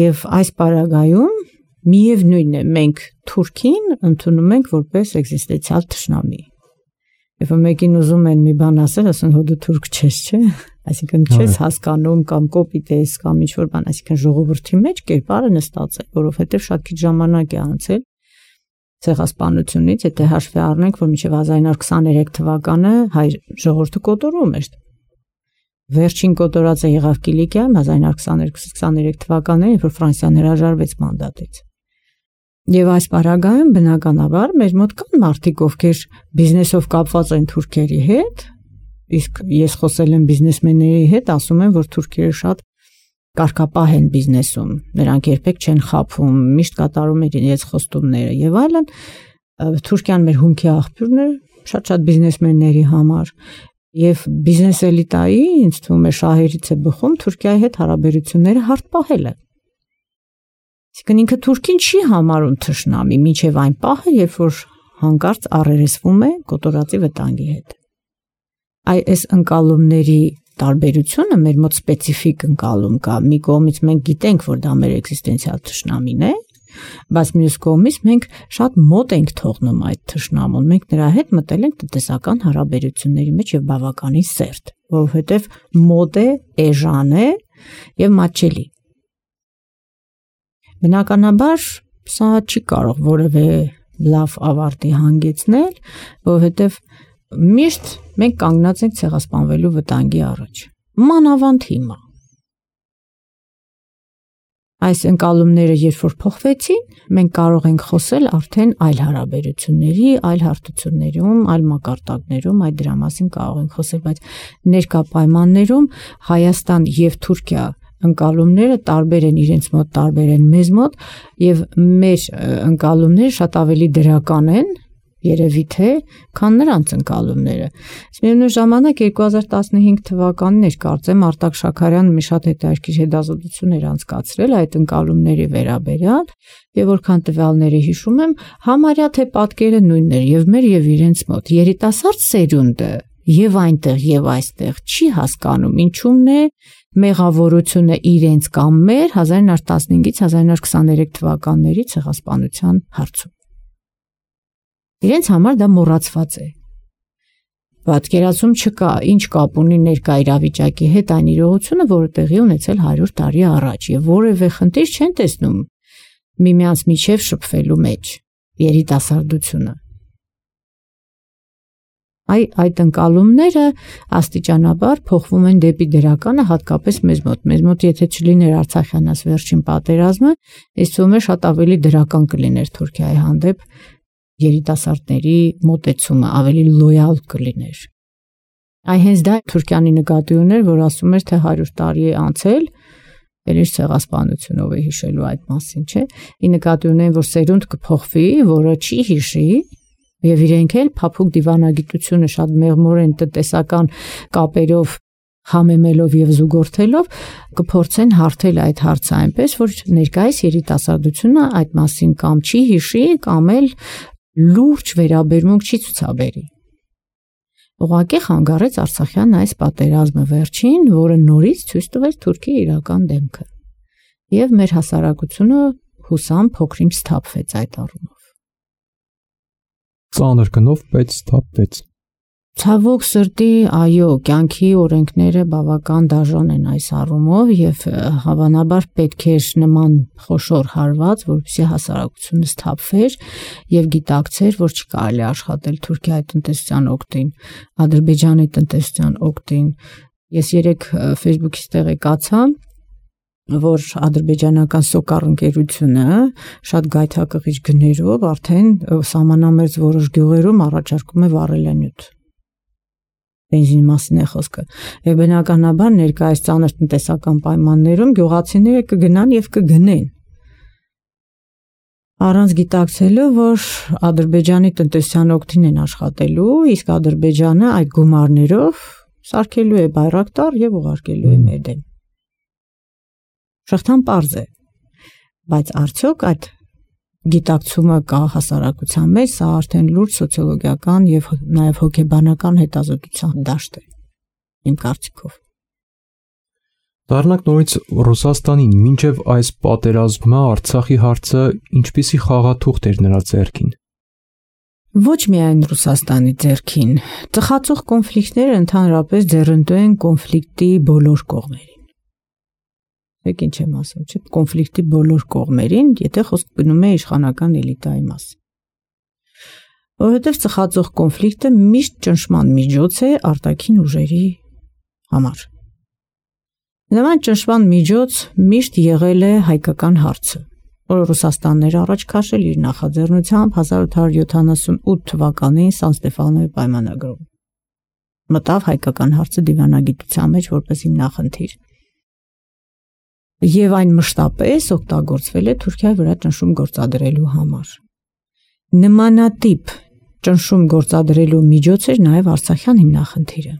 Եվ այս պարագայում միևնույն է, մենք Թուրքին ընդունում ենք որպես էկզիստենցիալ թշնամի։ Երբ մեկին ուզում են մի բան ասել, ասեն հո դու թուրք չես, չէ՞։ Այսինքն չես հասկանում կամ կոպիտ ես կամ ինչ-որ բան, այսինքն ժողովրդի մեջ կերպարը նստած է, որովհետև շատ քիչ ժամանակ է անցել ցեղասպանությունից, եթե հաշվի առնենք, որ մինչև 1923 թվականը հայ ժողովուրդը կոտորում էր։ Վերջին կոտորածը եղավ Կիլիկիայում 1922-23 թվականներին, երբ որ Ֆրանսիան հրաժարվեց մանդատից։ Եվ այս պարագայում բնականաբար մեր մոտ կան մարդիկ, ովքեր բիզնեսով կապված են թուրքերի հետ, իսկ ես խոսել եմ բիզնեսմենների հետ, ասում են, որ թուրքերը շատ կարգապահ են բիզնեսում, նրանք երբեք չեն խաբում, միշտ կատարում են իրենց խոստումները եւ այլն։ Թուրքիան մեր հումքի աղբյուրն է շատ բիզնեսմենների համար եւ բիզնես էլիտայի, ինձ թվում է, շահերից է բխում Թուրքիայի հետ հարաբերությունները հարթ պահելը։ Այսինքն ինքը Թուրքին չի համարում թշնամի, մինչև այն պահը, երբ որ հանկարծ առերեսվում է կոտորածի վտանգի հետ։ Այս ընկալումների տարբերությունը մեր մոտ սպეციფიկ ընկալում կա։ Մի կողմից մենք գիտենք, որ դա մեր էկզիստենցիալ թշնամին է, բայց մյուս կողմից մենք շատ մոտ ենք թողնում այդ թշնամուն։ Մենք նրա հետ մտել ենք տնտեսական հարաբերությունների մեջ եւ բավականին սերտ, որովհետեւ մոտ է, էժան է եւ մատչելի։ Բնականաբար սա չի կարող որևէ լավ ավարտի հանգեցնել, որովհետև միշտ մենք կանգնած ենք ցեղասպանվելու վտանգի առաջ։ Մանավանդ հիմա։ Այս ընկալումները երբ որ փոխվեցին, մենք կարող ենք խոսել արդեն այլ հարաբերությունների, այլ հարթություններում, այլ մակարդակներում, այդ դրա մասին կարող ենք խոսել, բայց ներկա պայմաններում Հայաստան եւ Թուրքիա ընկալումները տարբեր են, իրենց մոտ տարբեր են մեզ մոտ եւ մեր ընկալումները շատ ավելի դրական են, երևի թե, քան նրանց ընկալումները։ Միևնույն ժամանակ 2015 թվականին էր, կարծեմ, Արտակ Շաքարյանը մի շատ հետաքրքիր հետազոտություն էր անցկացրել այդ ընկալումների վերաբերյալ եւ որքան տվյալների հիշում եմ, համարյա թե պատկերը նույնն էր եւ մեր եւ իրենց մոտ։ Երիտասարդ սերունդը եւ այնտեղ եւ այստեղ չի հասկանում ինչու՞մն է մեղավորությունը իրենց կամ մեր 1915-ից 1923 թվականների ցեղասպանության հարցում։ Իրենց համար դա մոռացված է։ Պատկերացում չկա, ինչ կապ ունի ներկա իրավիճակի հետ այն իրողությունը, որը տեղի ունեցել 100 տարի առաջ եւ որևէ խնդիր չեն տեսնում միմյանց միջև շփվելու մեջ երիտասարդությունը։ Այդ ընկալումները աստիճանաբար փոխվում են դեպի դրականը, հատկապես մեզ մոտ եթե չլիներ Արցախյանաց վերջին պատերազմը, ես թվում է շատ ավելի դրական կլիներ Թուրքիայի հանդեպ երիտասարդների մոտեցումը, ավելի լոյալ կլիներ։ Հենց դա Թուրքիանի նկատի ուներ, որ ասում էր, թե 100 տարի է անցել, էլ իր ցեղասպանությունով է հիշելու այդ մասին, չէ՞։ Ի նկատի ունեն, որ սերունդ կփոխվի, որը չի հիշի, եւ իրենք էլ փափուկ դիվանագիտությունը շատ մեղմորեն տնտեսական կապերով համեմելով եւ զուգորդելով կփորձեն հարթել այդ հարցը այնպես, որ ներկայիս երիտասարդությունը այդ մասին կամ չի հիշի, կամ էլ լուրջ վերաբերմունք չի ցուցաբերի։ Ուղղակի խանգարեց Արցախյան այս պատերազմը վերջին, որը նորից ցույց տվեց Թուրքիայի իրական դեմքը։ Եվ մեր հասարակությունը հուսամ փոքրինչ սթափվեց այդ առումով։ Ծանր գնով, բայց սթափվեց։ Ցավոք սրտի, այո, կյանքի օրենքները բավական դաժան են այս առումով եւ հավանաբար պետք է նման խոշոր հարված, որպեսզի հասարակությունը սթափվեր եւ գիտակցեր, որ չկարելի աշխատել Թուրքիայի տնտեսության օգտին, Ադրբեջանի տնտեսության օգտին։ Ես երեք Facebook-ից տեղեկացա, որ ադրբեջանական Սոկար ընկերությունը շատ գայթակղիչ գներով արդեն սահմանամերձ որոշ գյուղերում առաջարկում է վառելանյութ։ Բենզինի մասին է խոսքը։ Եվ բնականաբար ներկայիս ծանր տնտեսական պայմաններում գյուղացիները կգնան եւ կգնեն։ Առանց գիտակցելու, որ Ադրբեջանի տնտեսության օգտին են աշխատելու, իսկ Ադրբեջանը այդ գումարներով սարքելու է բայրակտար եւ ուղարկելու է մեր դեմ։ Շղթան պարզ է, բայց արդյոք այդ գիտակցումը կա հասարակության մեջ, սա արդեն լուրջ սոցիոլոգիական եւ նաեւ հոգեբանական հետազոտության դաշտ է, իմ կարծիքով։ Դառնանք նորից Ռուսաստանին, մինչև այս պատերազմը Արցախի հարցը ինչպիսի խաղաթուղթ էր նրա ձեռքին։ Ոչ միայն Ռուսաստանի ձեռքին, ծխացող կոնֆլիկտները ընդհանրապես ձեռնտու են կոնֆլիկտի բոլոր կողմերին։ Եք ինչ եմ ասում, չէ՞, կոնֆլիկտի բոլոր կողմերին, եթե խոսք գնում է իշխանական էլիտայի մասին։ Որովհետև ծխացող կոնֆլիկտը միշտ ճնշման միջոց է արտաքին ուժերի համար։ Նման ճնշման միջոց միշտ եղել է հայկական հարցը, որը Ռուսաստանն էր առաջ քաշել իր նախաձեռնությամբ 1878 թվականին Սան Ստեֆանոյի պայմանագրում։ Մտավ հայկական հարցը դիվանագիտության մեջ որպես հիմնախնդիր։ Եվ այն մշտապես օգտագործվել է Թուրքիայի վրա ճնշում գործադրելու համար։ Նմանատիպ ճնշում գործադրելու միջոց էր նաև Արցախյան հիմնախնդիրը,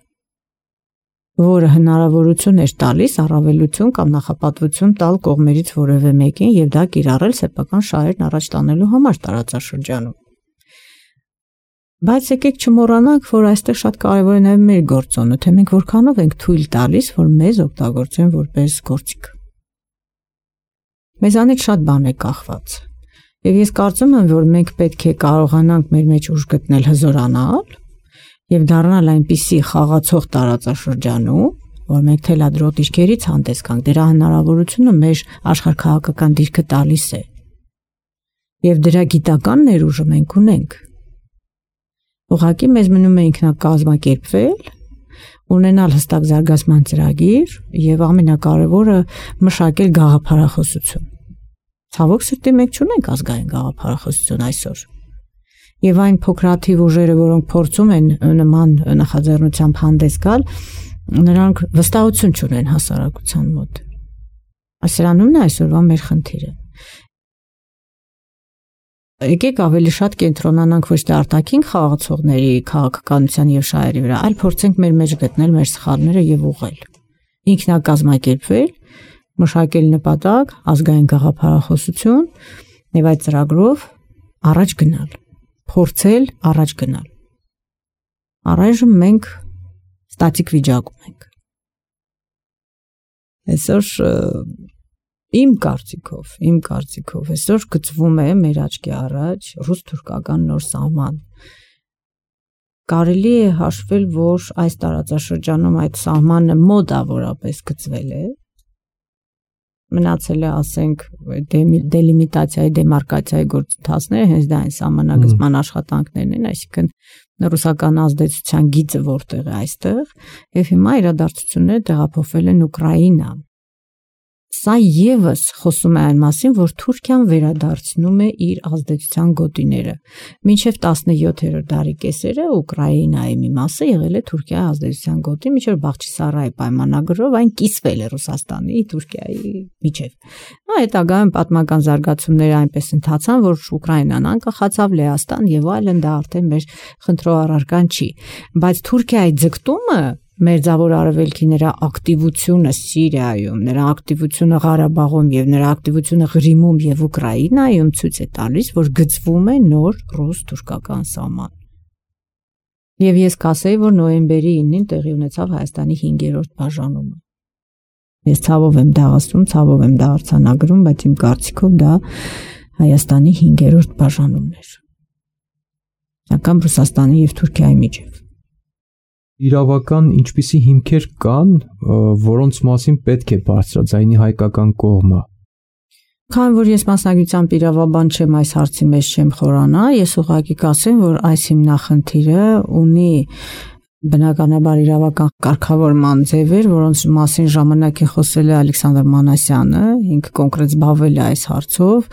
որը հնարավորություն էր տալիս առավելություն կամ նախապատվություն տալ կողմերից որևէ մեկին եւ դա կիրառել սեփական շահերն առաջ տանելու համար տարածաշրջանում։ Բայց եկեք չմոռանանք, որ այստեղ շատ կարևոր է նաև մեր գործոնը, թե մենք որքանով ենք թույլ տալիս, որ մեզ օգտագործեն որպես գործիք։ Մեզանից շատ բան է կախված։ Եվ ես կարծում եմ, որ մենք պետք է կարողանանք մեր մեջ ուժ գտնել հզորանալ եւ դառնալ այնպիսի խաղացող տարածաշրջանում, որ մենք թելադրոտ իշխերից հանդես գանք, դրա հնարավորությունը մեր աշխարհքաղաքական դիրքը տալիս է։ Եվ դրա գիտական ներուժը մենք ունենք։ Ուղղակի մեզ մնում է ինքնակազմակերպվել, ունենալ հստակ զարգացման ծրագիր եւ ամենակարևորը մշակել գաղափարախոսություն։ Ցավոք սրտի մենք չունենք ազգային գաղափարախոսություն այսօր։ Եվ այն փոքրաթիվ ուժերը, որոնք փորձում են նման նախաձեռնությամբ հանդես գալ, նրանք վստահություն չունեն հասարակության մոտ։ Սրանումն է այսօրվա մեր խնդիրը։ Եկեք ավելի շատ կենտրոնանանք ոչ թե արտաքին խաղացողների քաղաքականության եւ շահերի վրա, այլ փորձենք մեր մեջ գտնել մեր սխալները եւ ուղղել։ Ինքնակազմակերպվել, մշակել նպատակ, ազգային գաղափարախոսություն եւ այդ ծրագրով առաջ գնալ, փորձել առաջ գնալ։ Առայժմ մենք ստատիկ վիճակում ենք։ Այսօր իմ կարծիքով այսօր գծվում է մեր աչքի առաջ ռուս-թուրքական նոր սահման։ Կարելի է հաշվել, որ այս տարածաշրջանում այդ սահմանը մոտավորապես գծվել է, մնացել է, ասենք, դելիմիտացիայի, դեմարկացիայի գործընթացները, հենց դա այն սահմանագծման աշխատանքներն են, այսինքն ռուսական ազդեցության գիծը որտեղ է այստեղ, եւ հիմա իրադարձությունները տեղափոխվել են Ուկրաինա։ Սա եւս խոսում է այն մասին, որ Թուրքիան վերադարձնում է իր ազդեցության գոտիները։ Մինչև 17-րդ դարի կեսերը Ուկրաինայի մի մասը եղել է Թուրքիայի ազդեցության գոտի, մինչև Բախչիսարայի պայմանագրով այն կիսվել է Ռուսաստանի, Թուրքիայի միջև։ Հետագայում պատմական զարգացումները այնպես ընթացան, որ Ուկրաինան անկախացավ, Լեհաստան եւ այլն, դա արդեն մեր խնդրող առարկան չի։ Բայց Թուրքիայի ձգտումը Մերձավոր Արևելքի նրա ակտիվությունը Սիրիայում, նրա ակտիվությունը Ղարաբաղում եւ նրա ակտիվությունը Ղրիմում եւ Ուկրաինայում ցույց է տալիս, որ գծվում է նոր ռուս-թուրքական սահման։ Եվ ես կասեի, որ նոյեմբերի 9-ին տեղի ունեցավ Հայաստանի 5-րդ բաժանումը։ Ես ցավով եմ դա ասում, ցավով եմ դա արձանագրում, բայց իմ կարծիքով դա Հայաստանի 5-րդ բաժանումն էր։ Անկամ Ռուսաստանի եւ Թուրքիայի միջև։ Իրավական ինչպիսի հիմքեր կան, որոնց մասին պետք է բարձրաձայնի հայկական կողմը։ Քանի որ ես մասնագիտությամբ իրավաբան չեմ, այս հարցի մեջ չեմ խորանա, ես ուղղակի կասեմ, որ այս հիմնախնդիրը ունի բնականաբար իրավական կարգավորման ձևեր, որոնց մասին ժամանակ է խոսել է Ալեքսանդր Մանասյանը, ինքը կոնկրետ զբաղվել է այս հարցով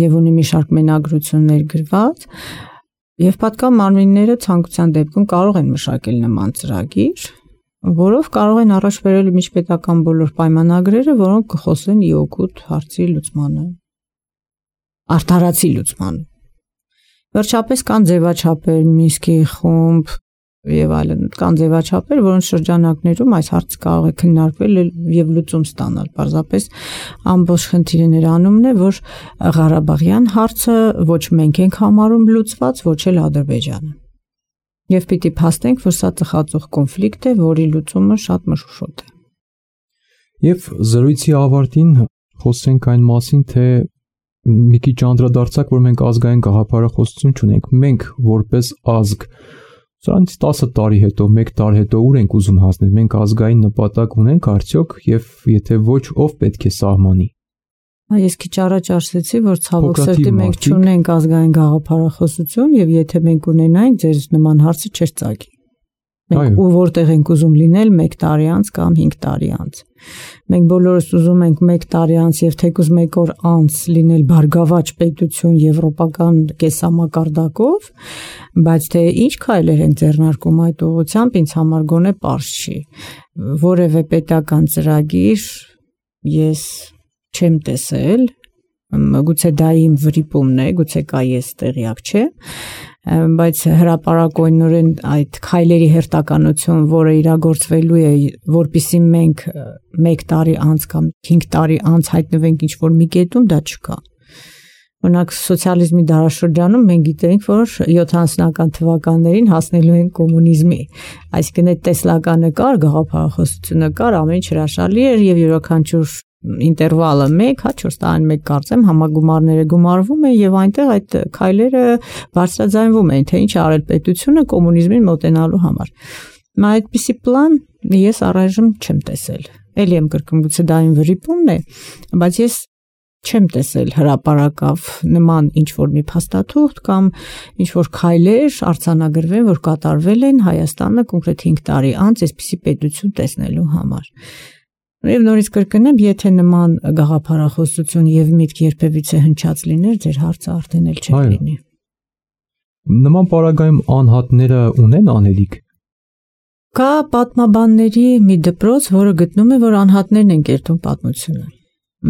եւ ունի մի շարք մենագրություններ գրված։ Եվ պատկան մարմինները ցանկության դեպքում կարող են մշակել նման ծրագիր, որով կարող են առաջ բերել միջպետական բոլոր պայմանագրերը, որոնք կխոսեն իօգուտ հարցի լուծմանը, արդարացի լուծմանը։ Վերջապես կան ձևաչափեր, Մինսկի խումբ եւ այլն, կան ձևաչափեր, որոնց շրջանակներում այս հարցը կարող է քննարկվել եւ լուծում ստանալ։ Պարզապես ամբողջ խնդիրը նրանումն է, որ Ղարաբաղյան հարցը ոչ մենք ենք համարում լուծված, ոչ էլ Ադրբեջանը։ Եվ պիտի փաստենք, որ սա ծխածող կոնֆլիկտ է, որի լուծումը շատ մշուշոտ է։ Եվ զրույցի ավարտին խոսենք այն մասին, թե մի քիչ անդրադարձակ, որ մենք ազգային գաղափարախոսություն չունենք, մենք որպես ազգ Սրանից 10 տարի հետո, 1 տարի հետո ուր ենք ուզում հասնել, մենք ազգային նպատակ ունենք արդյոք եւ եթե ոչ, ով պետք է սահմանի։ Ես քիչ առաջ ասացի, որ ցավոք սրտի մենք չունենք ազգային գաղափարախոսություն եւ եթե մենք ունենայինք, ձեր նման հարցը չէր ծագի։ Մենք ու որտեղ ենք ուզում լինել 1 տարի անց կամ 5 տարի անց։ Մենք բոլորս ուզում ենք 1 տարի անց եւ թեկուզ 1 օր անց լինել բարգավաճ պետություն եվրոպական կեսամակարդակով, բայց թե ինչ քայլեր են ձեռնարկում այդ ուղղությամբ ինձ համար գոնե պարզ չի։ Որևէ պետական ծրագիր ես չեմ տեսել, գուցե դա իմ վրիպումն է, գուցե կա ես տեղյակ չեմ, բայց հրապարակայնորեն այդ քայլերի հերթականություն, որը իրագործվելու է, որpիսի մենք 1 տարի անց կամ 5 տարի անց հայտնվենք ինչ-որ մի կետում, դա չկա։ Օրինակ սոցիալիզմի դարաշրջանում մենք գիտենք, որ 70-ական թվականներին հասնելու են կոմունիզմի, այսինքն այդ տեսլականը կար, գաղափարախոսությունը կար, ամեն ինչ հրաշալի էր եւ յուրաքանչյուր ինտերվալը 1, 4 տարին 1 կարծեմ համագումարները գումարվում են եւ այնտեղ այդ քայլերը բարձրաձայնվում են, թե ինչ արել պետությունը կոմունիզմին մոտենալու համար։ Մա այդպիսի պլան ես առայժմ չեմ տեսել։ Էլի եմ կրկնում, գուցե դա իմ վրիպումն է, բայց ես չեմ տեսել հրապարակավ նման ինչ-որ մի փաստաթուղթ կամ ինչ-որ քայլեր արձանագրվեն, որ կատարվել են Հայաստանը կոնկրետ 5 տարի անց այսպիսի պետություն տեսնելու համար։ Եվ նորից կրկնեմ, եթե նման գաղափարախոսություն եւ միտք երբևիցե հնչած լիներ, ձեր հարցը արդեն էլ չէր լինի։ Նման պարագայում անհատները ունեն անելիք։ Կա պատմաբանների մի դպրոց, որը գտնում է, որ անհատներն են կերտում պատմությունը։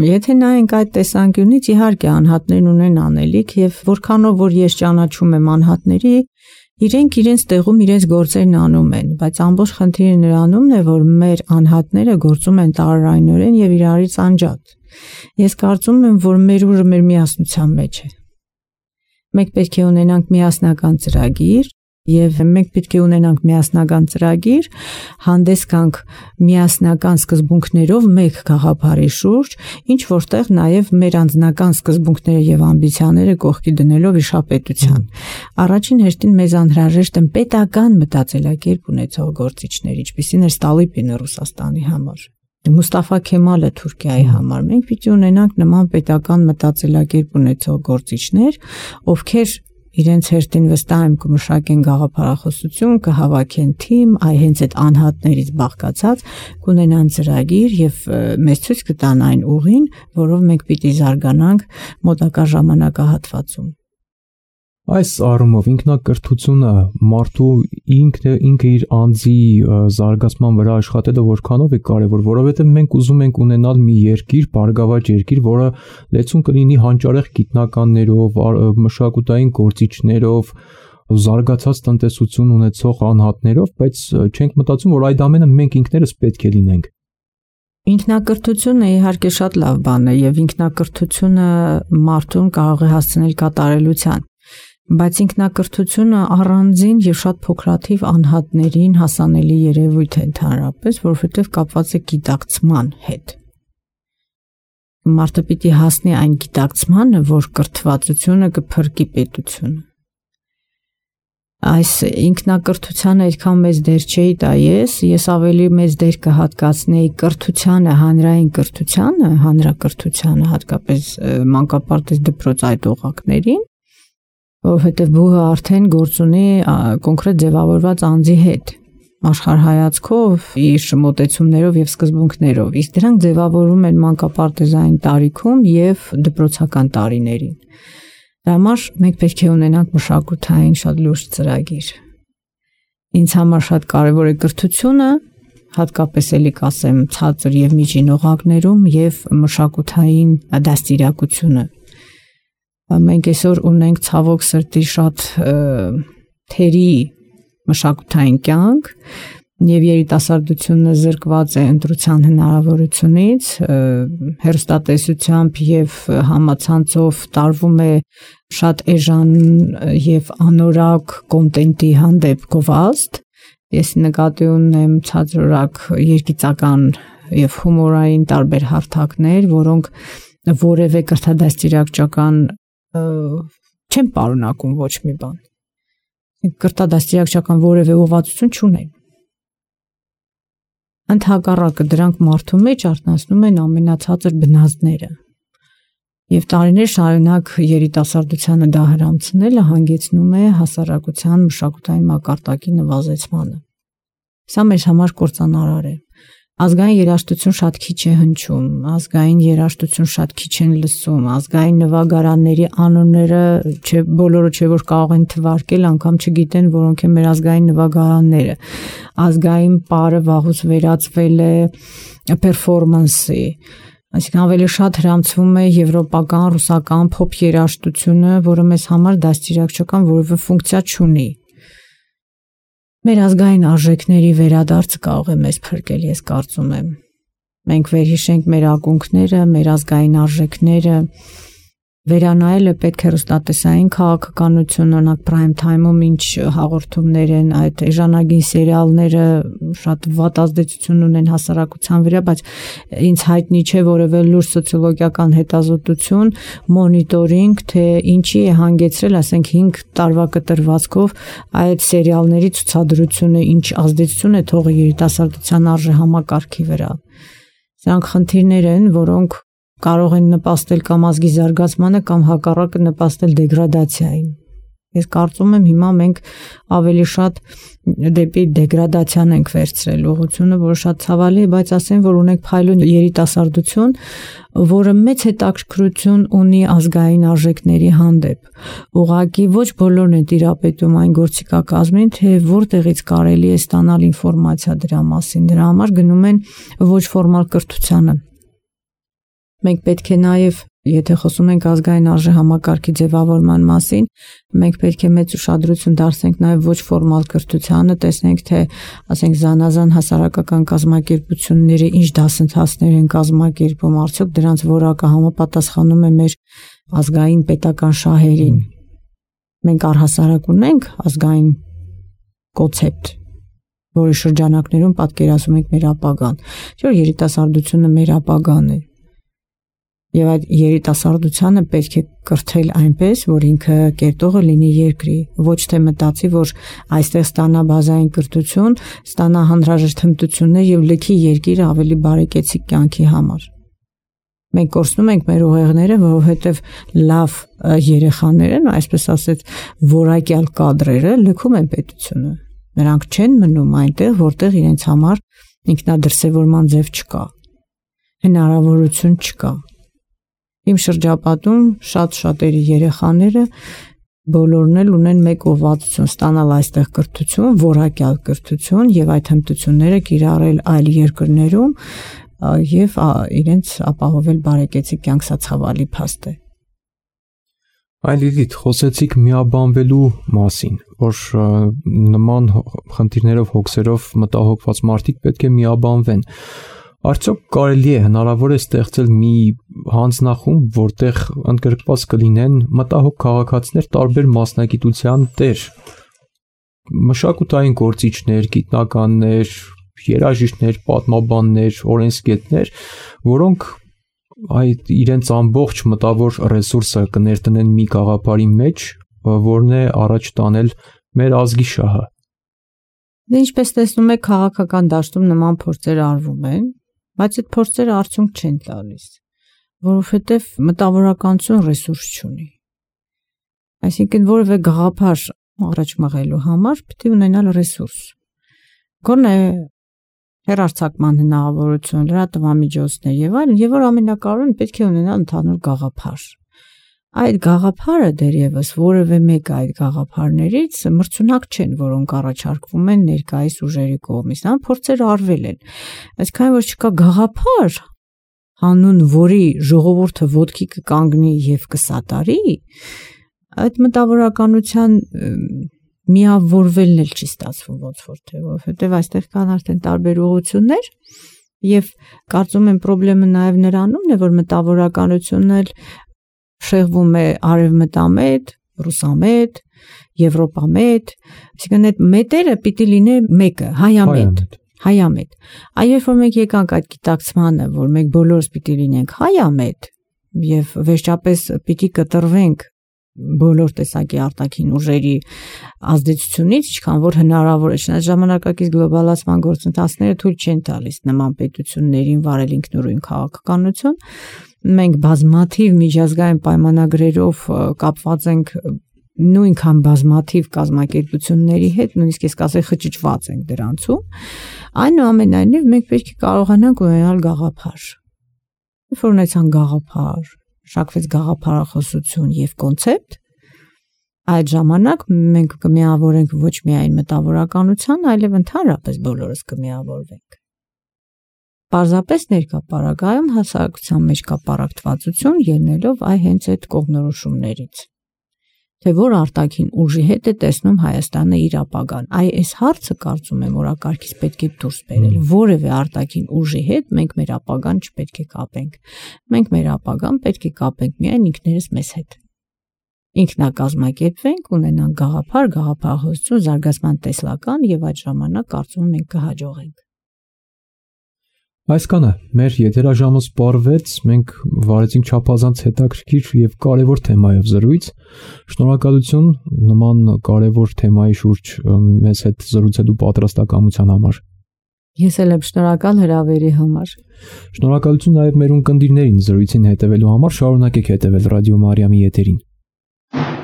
Եթե նայենք այդ տեսանկյունից, իհարկե անհատներն ունեն անելիք եւ որքանով որ ես ճանաչում եմ անհատների, իրենք իրենց տեղում իրենց գործերն անում են, բայց ամբողջ խնդիրը նրանումն է, որ մեր անհատները գործում են տարօրինորեն եւ իրարից անջատ։ Ես կարծում եմ, որ մեր ուժը մեր միասնության մեջ է։ Մենք պետք է ունենանք միասնական ծրագիր, Եվ մենք պետք է ունենանք միասնական ծրագիր, հանդես գանք միասնական սկզբունքներով մեկ գաղափարի շուրջ, ինչ որտեղ նաև մեր անձնական սկզբունքները եւ ամբիցիաները կողքի դնելով իշապետության։ Առաջին հերթին մեզ անհրաժեշտ են պետական մտածելակերպ ունեցող գործիչներ, ինչպիսին էր Ստալիպինը Ռուսաստանի համար, Մուստաֆա Քեմալը Թուրքիայի համար։ Մենք պիտի ունենանք նման պետական մտածելակերպ ունեցող գործիչներ, ովքեր իրենց հերթին վստահ եմ կմշակեն գաղափարախոսություն, կհավաքեն թիմ, հենց այդ անհատներից բաղկացած կունենան ծրագիր եւ մեզ ցույց կտան այն ուղին, որով մենք պիտի զարգանանք մոտակա ժամանակահատվածում։ Այս առումով ինքնակրթությունը մարդու ինքը իր անձի զարգացման վրա աշխատելը որքանով է կարևոր, որովհետև մենք ուզում ենք ունենալ մի երկիր, բարգավաճ երկիր, որը լեցուն կլինի հանճարեղ գիտնականներով, մշակութային գործիչներով, զարգացած տնտեսություն ունեցող անհատներով, բայց չենք մտածում, որ այդ ամենը մենք ինքներս պետք է լինենք։ Ինքնակրթությունը իհարկե շատ լավ բան է եւ ինքնակրթությունը մարդուն կարող է հասցնել կատարելության, բայց ինքնակրթությունը առանձին եւ շատ փոքրաթիվ անհատներին հասանելի երևույթ է ընդհանրապես, որովհետեւ կապված է գիտակցման հետ։ Մարդը պիտի հասնի այն գիտակցմանը, որ կրթվածությունը կփրկի պետությունը։ Այս ինքնակրթությանը այդքան մեծ դեր չէի տա ես ավելի մեծ դեր կհատկացնեի կրթությանը, հանրային կրթությանը, հանրակրթությանը, հատկապես մանկապարտեզ դպրոց այդօղակներին, որովհետև բուհը արդեն գործ ունի կոնկրետ ձևավորված անձի հետ, աշխարհայացքով, իր մոտեցումներով եւ սկզբունքներով, իսկ դրանք ձևավորվում են մանկապարտեզային տարիքում եւ դպրոցական տարիներին։ Դրա համար մենք պետք է ունենանք մշակութային շատ լուրջ ծրագիր։ Ինձ համար շատ կարևոր է կրթությունը, հատկապես էլի կասեմ ցածր եւ միջին օղակներում եւ մշակութային դաստիարակությունը։ Մենք այսօր ունենք ցավոք սրտի շատ թերի մշակութային կյանք եւ երիտասարդությունը զրկված է ընտրության հնարավորությունից, հեռուստատեսությամբ եւ համացանցով տարվում է շատ էժան եւ անորակ կոնտենտի հանդեպ գովազդ։ Ես նկատի ունեմ ցածրորակ երգիծական եւ հումորային տարբեր հարթակներ, որոնք որևէ կրթադաստիարակչական չեն պարունակում ոչ մի բան։ Կրթադաստիարակչական որևէ ուղղվածություն չունեն։ Ընդհակառակը դրանք մարդու մեջ արտնասնում են ամենացածր բնազդները։ Եվ տարիներ շարունակ երիտասարդությանը դա հրամցնելը հանգեցնում է հասարակության մշակութային մակարդակի նվազեցմանը։ Սա մեզ համար կործանարար է։ Ազգային երաժշտություն շատ քիչ է հնչում, ազգային երաժշտություն շատ քիչ են լսում, ազգային նվագարանների անունները բոլորը չէ որ կարող են թվարկել, անգամ չգիտեն որոնք են մեր ազգային նվագարանները։ Ազգային պարը վաղուց վերածվել է պերֆորմանսի, այսինքն ավելի շատ հրամցվում է եվրոպական, ռուսական փոփ երաժշտությունը, որը մեզ համար դաստիարակչական որևէ ֆունկցիա չունի։ Մեր ազգային արժեքների վերադարձը կարող է մեզ փրկել, ես կարծում եմ։ Մենք վերհիշենք մեր ակունքները, մեր ազգային արժեքները, վերանայելը պետք է հեռուստատեսային քաղաքականություն, օրինակ prime time-ում ինչ հաղորդումներ են, այդ էժանագին սերիալները շատ վատ ազդեցություն ունեն հասարակության վրա, բայց ինձ հայտնի չէ որևէ լուրջ սոցիոլոգիական հետազոտություն, մոնիտորինգ, թե ինչի է հանգեցրել, ասենք 5 տարվա կտրվածքով այդ սերիալների ցուցադրությունը ինչ ազդեցություն է թողել երիտասարդության արժեհամակարգի վրա։ Սրանք խնդիրներ են, որոնք կարող են նպաստել կամ ազգի զարգացմանը կամ հակառակը նպաստել դեգրադացիային։ Ես կարծում եմ հիմա մենք ավելի շատ դեպի դեգրադացիան ենք վերցրել ուղղությունը, որը շատ ցավալի է, բայց ասեմ, որ ունենք փայլուն երիտասարդություն, որը մեծ հետաքրքրություն ունի ազգային արժեքների հանդեպ։ Ուղղակի ոչ բոլորն են տիրապետում այն գործիքակազմին, թե որտեղից կարելի է ստանալ ինֆորմացիա դրա մասին։ Դրա համար գնում են ոչ ֆորմալ կրթությանը։ Մենք պետք է նաև, եթե խոսում ենք ազգային արժեհամակարգի ձևավորման մասին, մենք պետք է մեծ ուշադրություն դարձնենք նաև ոչ ֆորմալ կրթությանը, տեսնենք, թե, ասենք, զանազան հասարակական կազմակերպությունները ինչ դասընթացներ են կազմակերպում, արդյոք դրանց որակը համապատասխանում է մեր ազգային պետական շահերին։ Մենք առհասարակ ունենք ազգային կոնցեպտ, որի շրջանակներում պատկերացնում ենք մեր ապագան, չէ՞ որ երիտասարդությունը մեր ապագան է։ Եվ այդ երիտասարդությանը պետք է կրթել այնպես, որ ինքը կերտողը լինի երկրի, ոչ թե մտածի, որ այստեղ ստանա բազային կրթություն, ստանա հանրաժեշտ հմտություններ եւ լքի երկիր ավելի բարեկեցիկ կյանքի համար։ Մենք կորցնում ենք մեր ուղեղները, որովհետեւ լավ երեխաներն, այսպես ասած, որակյալ կադրերը լքում են պետությունը։ Նրանք չեն մնում այնտեղ, որտեղ իրենց համար ինքնադրսևորման ձև չկա, հնարավորություն չկա։ Իմ շրջապատում շատ-շատերի երեխաները բոլորն էլ ունեն մեկ ուղղվածություն՝ ստանալ այստեղ կրթություն, որակյալ կրթություն եւ այդ հմտությունները կիրառել այլ երկրներում եւ իրենց ապահովել բարեկեցիկ կյանք, սա ցավալի փաստ է։ Այլիլիթ, խոսեցիք միաբանվելու մասին, որ նման խնդիրներով, հոգսերով մտահոգված մարդիկ պետք է միաբանվեն։ Արդյոք կարելի է, հնարավոր է ստեղծել մի հանձնախումբ, որտեղ ընդգրկված կլինեն մտահոգ քաղաքացիներ տարբեր մասնագիտության տեր, մշակութային գործիչներ, գիտնականներ, երաժիշտներ, պատմաբաններ, օրենսգետներ, որոնք այդ իրենց ամբողջ մտավոր ռեսուրսը կներտնեն մի գաղափարի մեջ, որն է առաջ տանել մեր ազգի շահը։ Դե ինչպես տեսնում եք, քաղաքական դաշտում նման փորձեր արվում են, բայց այդ փորձերը արդյունք չեն տալիս, որովհետև մտավորականություն ռեսուրս չունի։ Այսինքն որևէ գաղափար առաջ մղելու համար պետք է ունենալ ռեսուրս։ Գոնե հեռարձակման հնարավորություն, լրատվամիջոցներ եւ այլն, եւ որ ամենակարևորն պետք է ունենալ ընդհանուր գաղափար։ Այդ գաղափարը դերևս որևէ մեկ այդ գաղափարներից մրցունակ չեն, որոնք առաջարկվում են ներկայիս ուժերի կողմից, նա փորձեր արվել են։ Այսքան որ չկա գաղափար, հանուն որի ժողովուրդը ոտքի կկանգնի եւ կսատարի, այդ մտավորականության միավորվելն էլ չի ստացվում ոնց որ թե, որովհետեւ այստեղ կան արդեն տարբեր ուղղություններ եւ կարծում եմ խնդրեմը նաեւ նրանումն է, որ մտավորականությունն էլ շեղվում է արևմտամետ, ռուսամետ, եվրոպամետ, այսինքն այդ մետերը պիտի լինի մեկը, հայամետ։ Այ երբ որ մենք եկանք այդ գիտակցմանը, որ մենք բոլորս պիտի լինենք հայամետ եւ վերջապես պիտի կտրվենք բոլոր տեսակի արտաքին ուժերի ազդեցությունից, ինչքան որ հնարավոր է, չնայած ժամանակակից գլոբալացման գործընթացները թույլ չեն տալիս նման պետություններին վարել ինքնուրույն քաղաքականություն։ Մենք բազմաթիվ միջազգային պայմանագրերով կապված ենք նույնքան բազմաթիվ կազմակերպությունների հետ, նույնիսկ ես կասեի խճճված ենք դրանցում, այնուամենայնիվ մենք պետք է կարողանանք ունենալ գաղափար։ Երբ որ ունեցան գաղափար, շակվեց գաղափարախոսություն եւ կոնցեպտ, այդ ժամանակ մենք կմիավորենք ոչ միայն մտավորականության, այլև ընդհանրապես բոլորս կմիավորվենք։ Պարզապես ներկա պարագայում հասարակության մեջ կա պարակտվածություն ելնելով այ հենց այդ կողմնորոշումներից, թե որ արտաքին ուժի հետ է տեսնում Հայաստանը իր ապագան։ Այ այս հարցը կարծում եմ օրակարգից պետք է դուրս բերել։ Որևէ արտաքին ուժի հետ մենք մեր ապագան չպետք է կապենք։ Մենք մեր ապագան պետք է կապենք միայն ինքներս մեզ հետ։ Ինքնակազմակերպվենք, ունենանք գաղափար, գաղափարախոսություն, զարգացման տեսլական եւ այդ ժամանակ կարծում եմ մենք կհաջողենք։ Այսքանը մեր եթերաժամը սպառվեց, մենք վարեցինք չափազանց հետաքրքիր եւ կարեւոր թեմայով զրույց։ Շնորհակալություն նման կարեւոր թեմայի շուրջ մեզ հետ զրուցելու պատրաստակամության համար։ Ես էլ եմ շնորհակալ հրավերի համար։ Շնորհակալություն նաեւ մեր ունկնդիրներին զրույցին հետևելու համար, շարունակեք հետևել Ռադիո Մարիամի եթերին։ Come,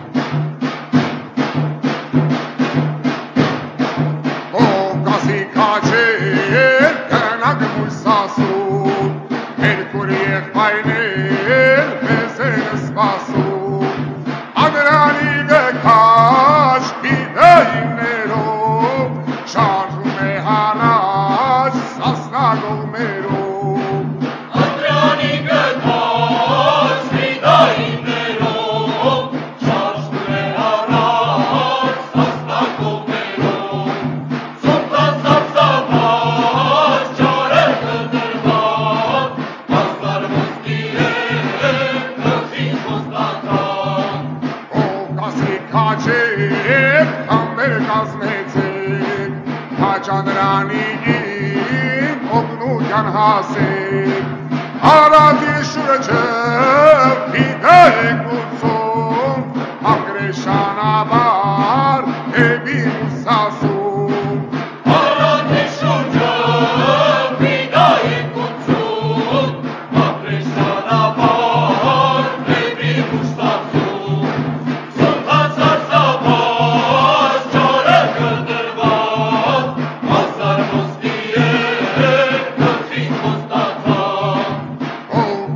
Քրիստոնյանին օգնության հասեք, Արադի շուրջը պիտեք ուսում, ակրեշանաբար էբի ուսասում, Արադի շուրջը պիտեք ուսում, ակրեշանաբար էբի ուսասում, Սնտան սարսափած ճարը կտրված, Ասար ոսկի է գլխին խոստացած,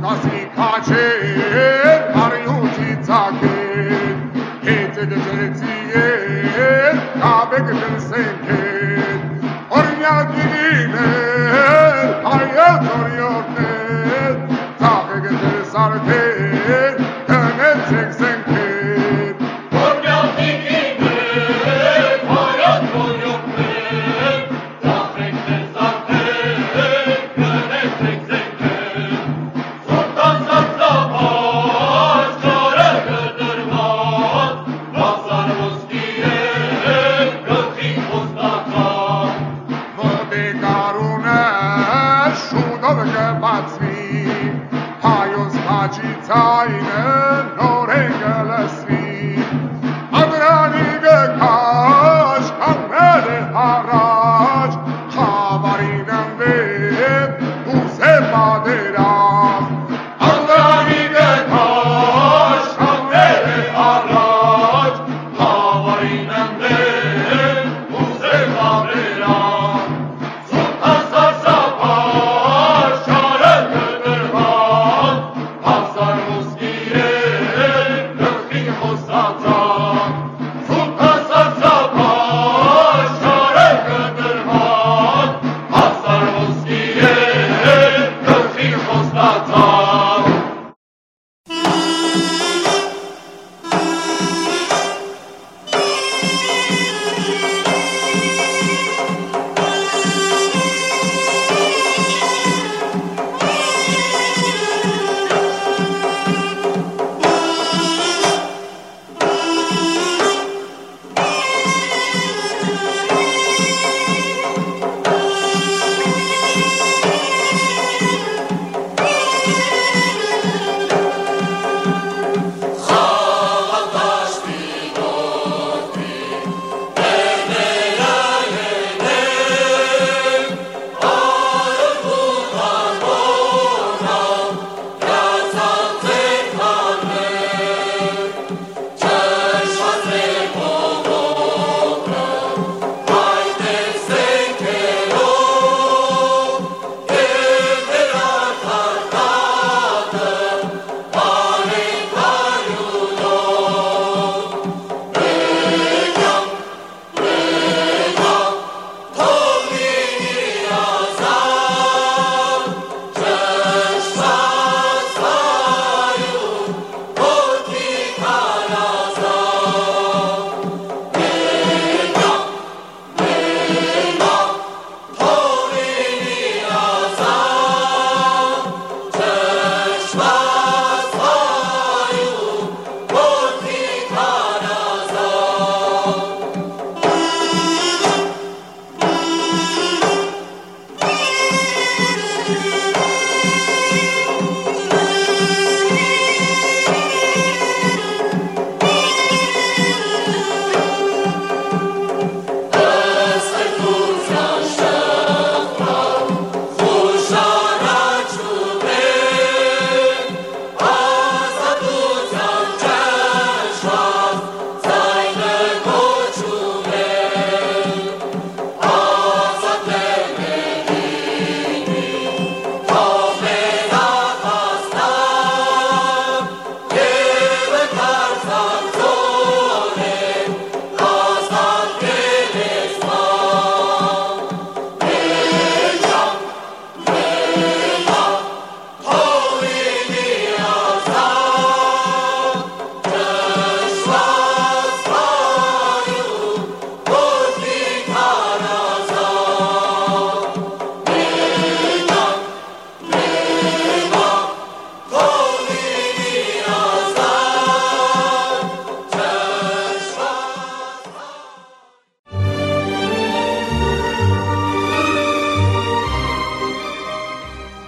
Կասի քաչեր, արյունի ծակեր, հետը գծեցիեր, կաբեկ դրսենքեր, օրնյակիներ, հայետ օրյորներ, ծաղեք դրսարքեր, տնեցեք զենքեր, Որմյակիքիներ, հայատ որյոքներ, Ծախեք դերսարքեր, գնեցեք զենքեր, Սուտան սարսափած, ճարը կտրված, Ասար ոսկի է գլխին խոստացած, ոտե կարունը շուտով կբացվի, հայոց խաչի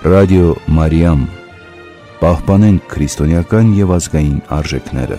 Ռադիո Մարիամ, պահպանենք քրիստոնեական եւ ազգային արժեքները։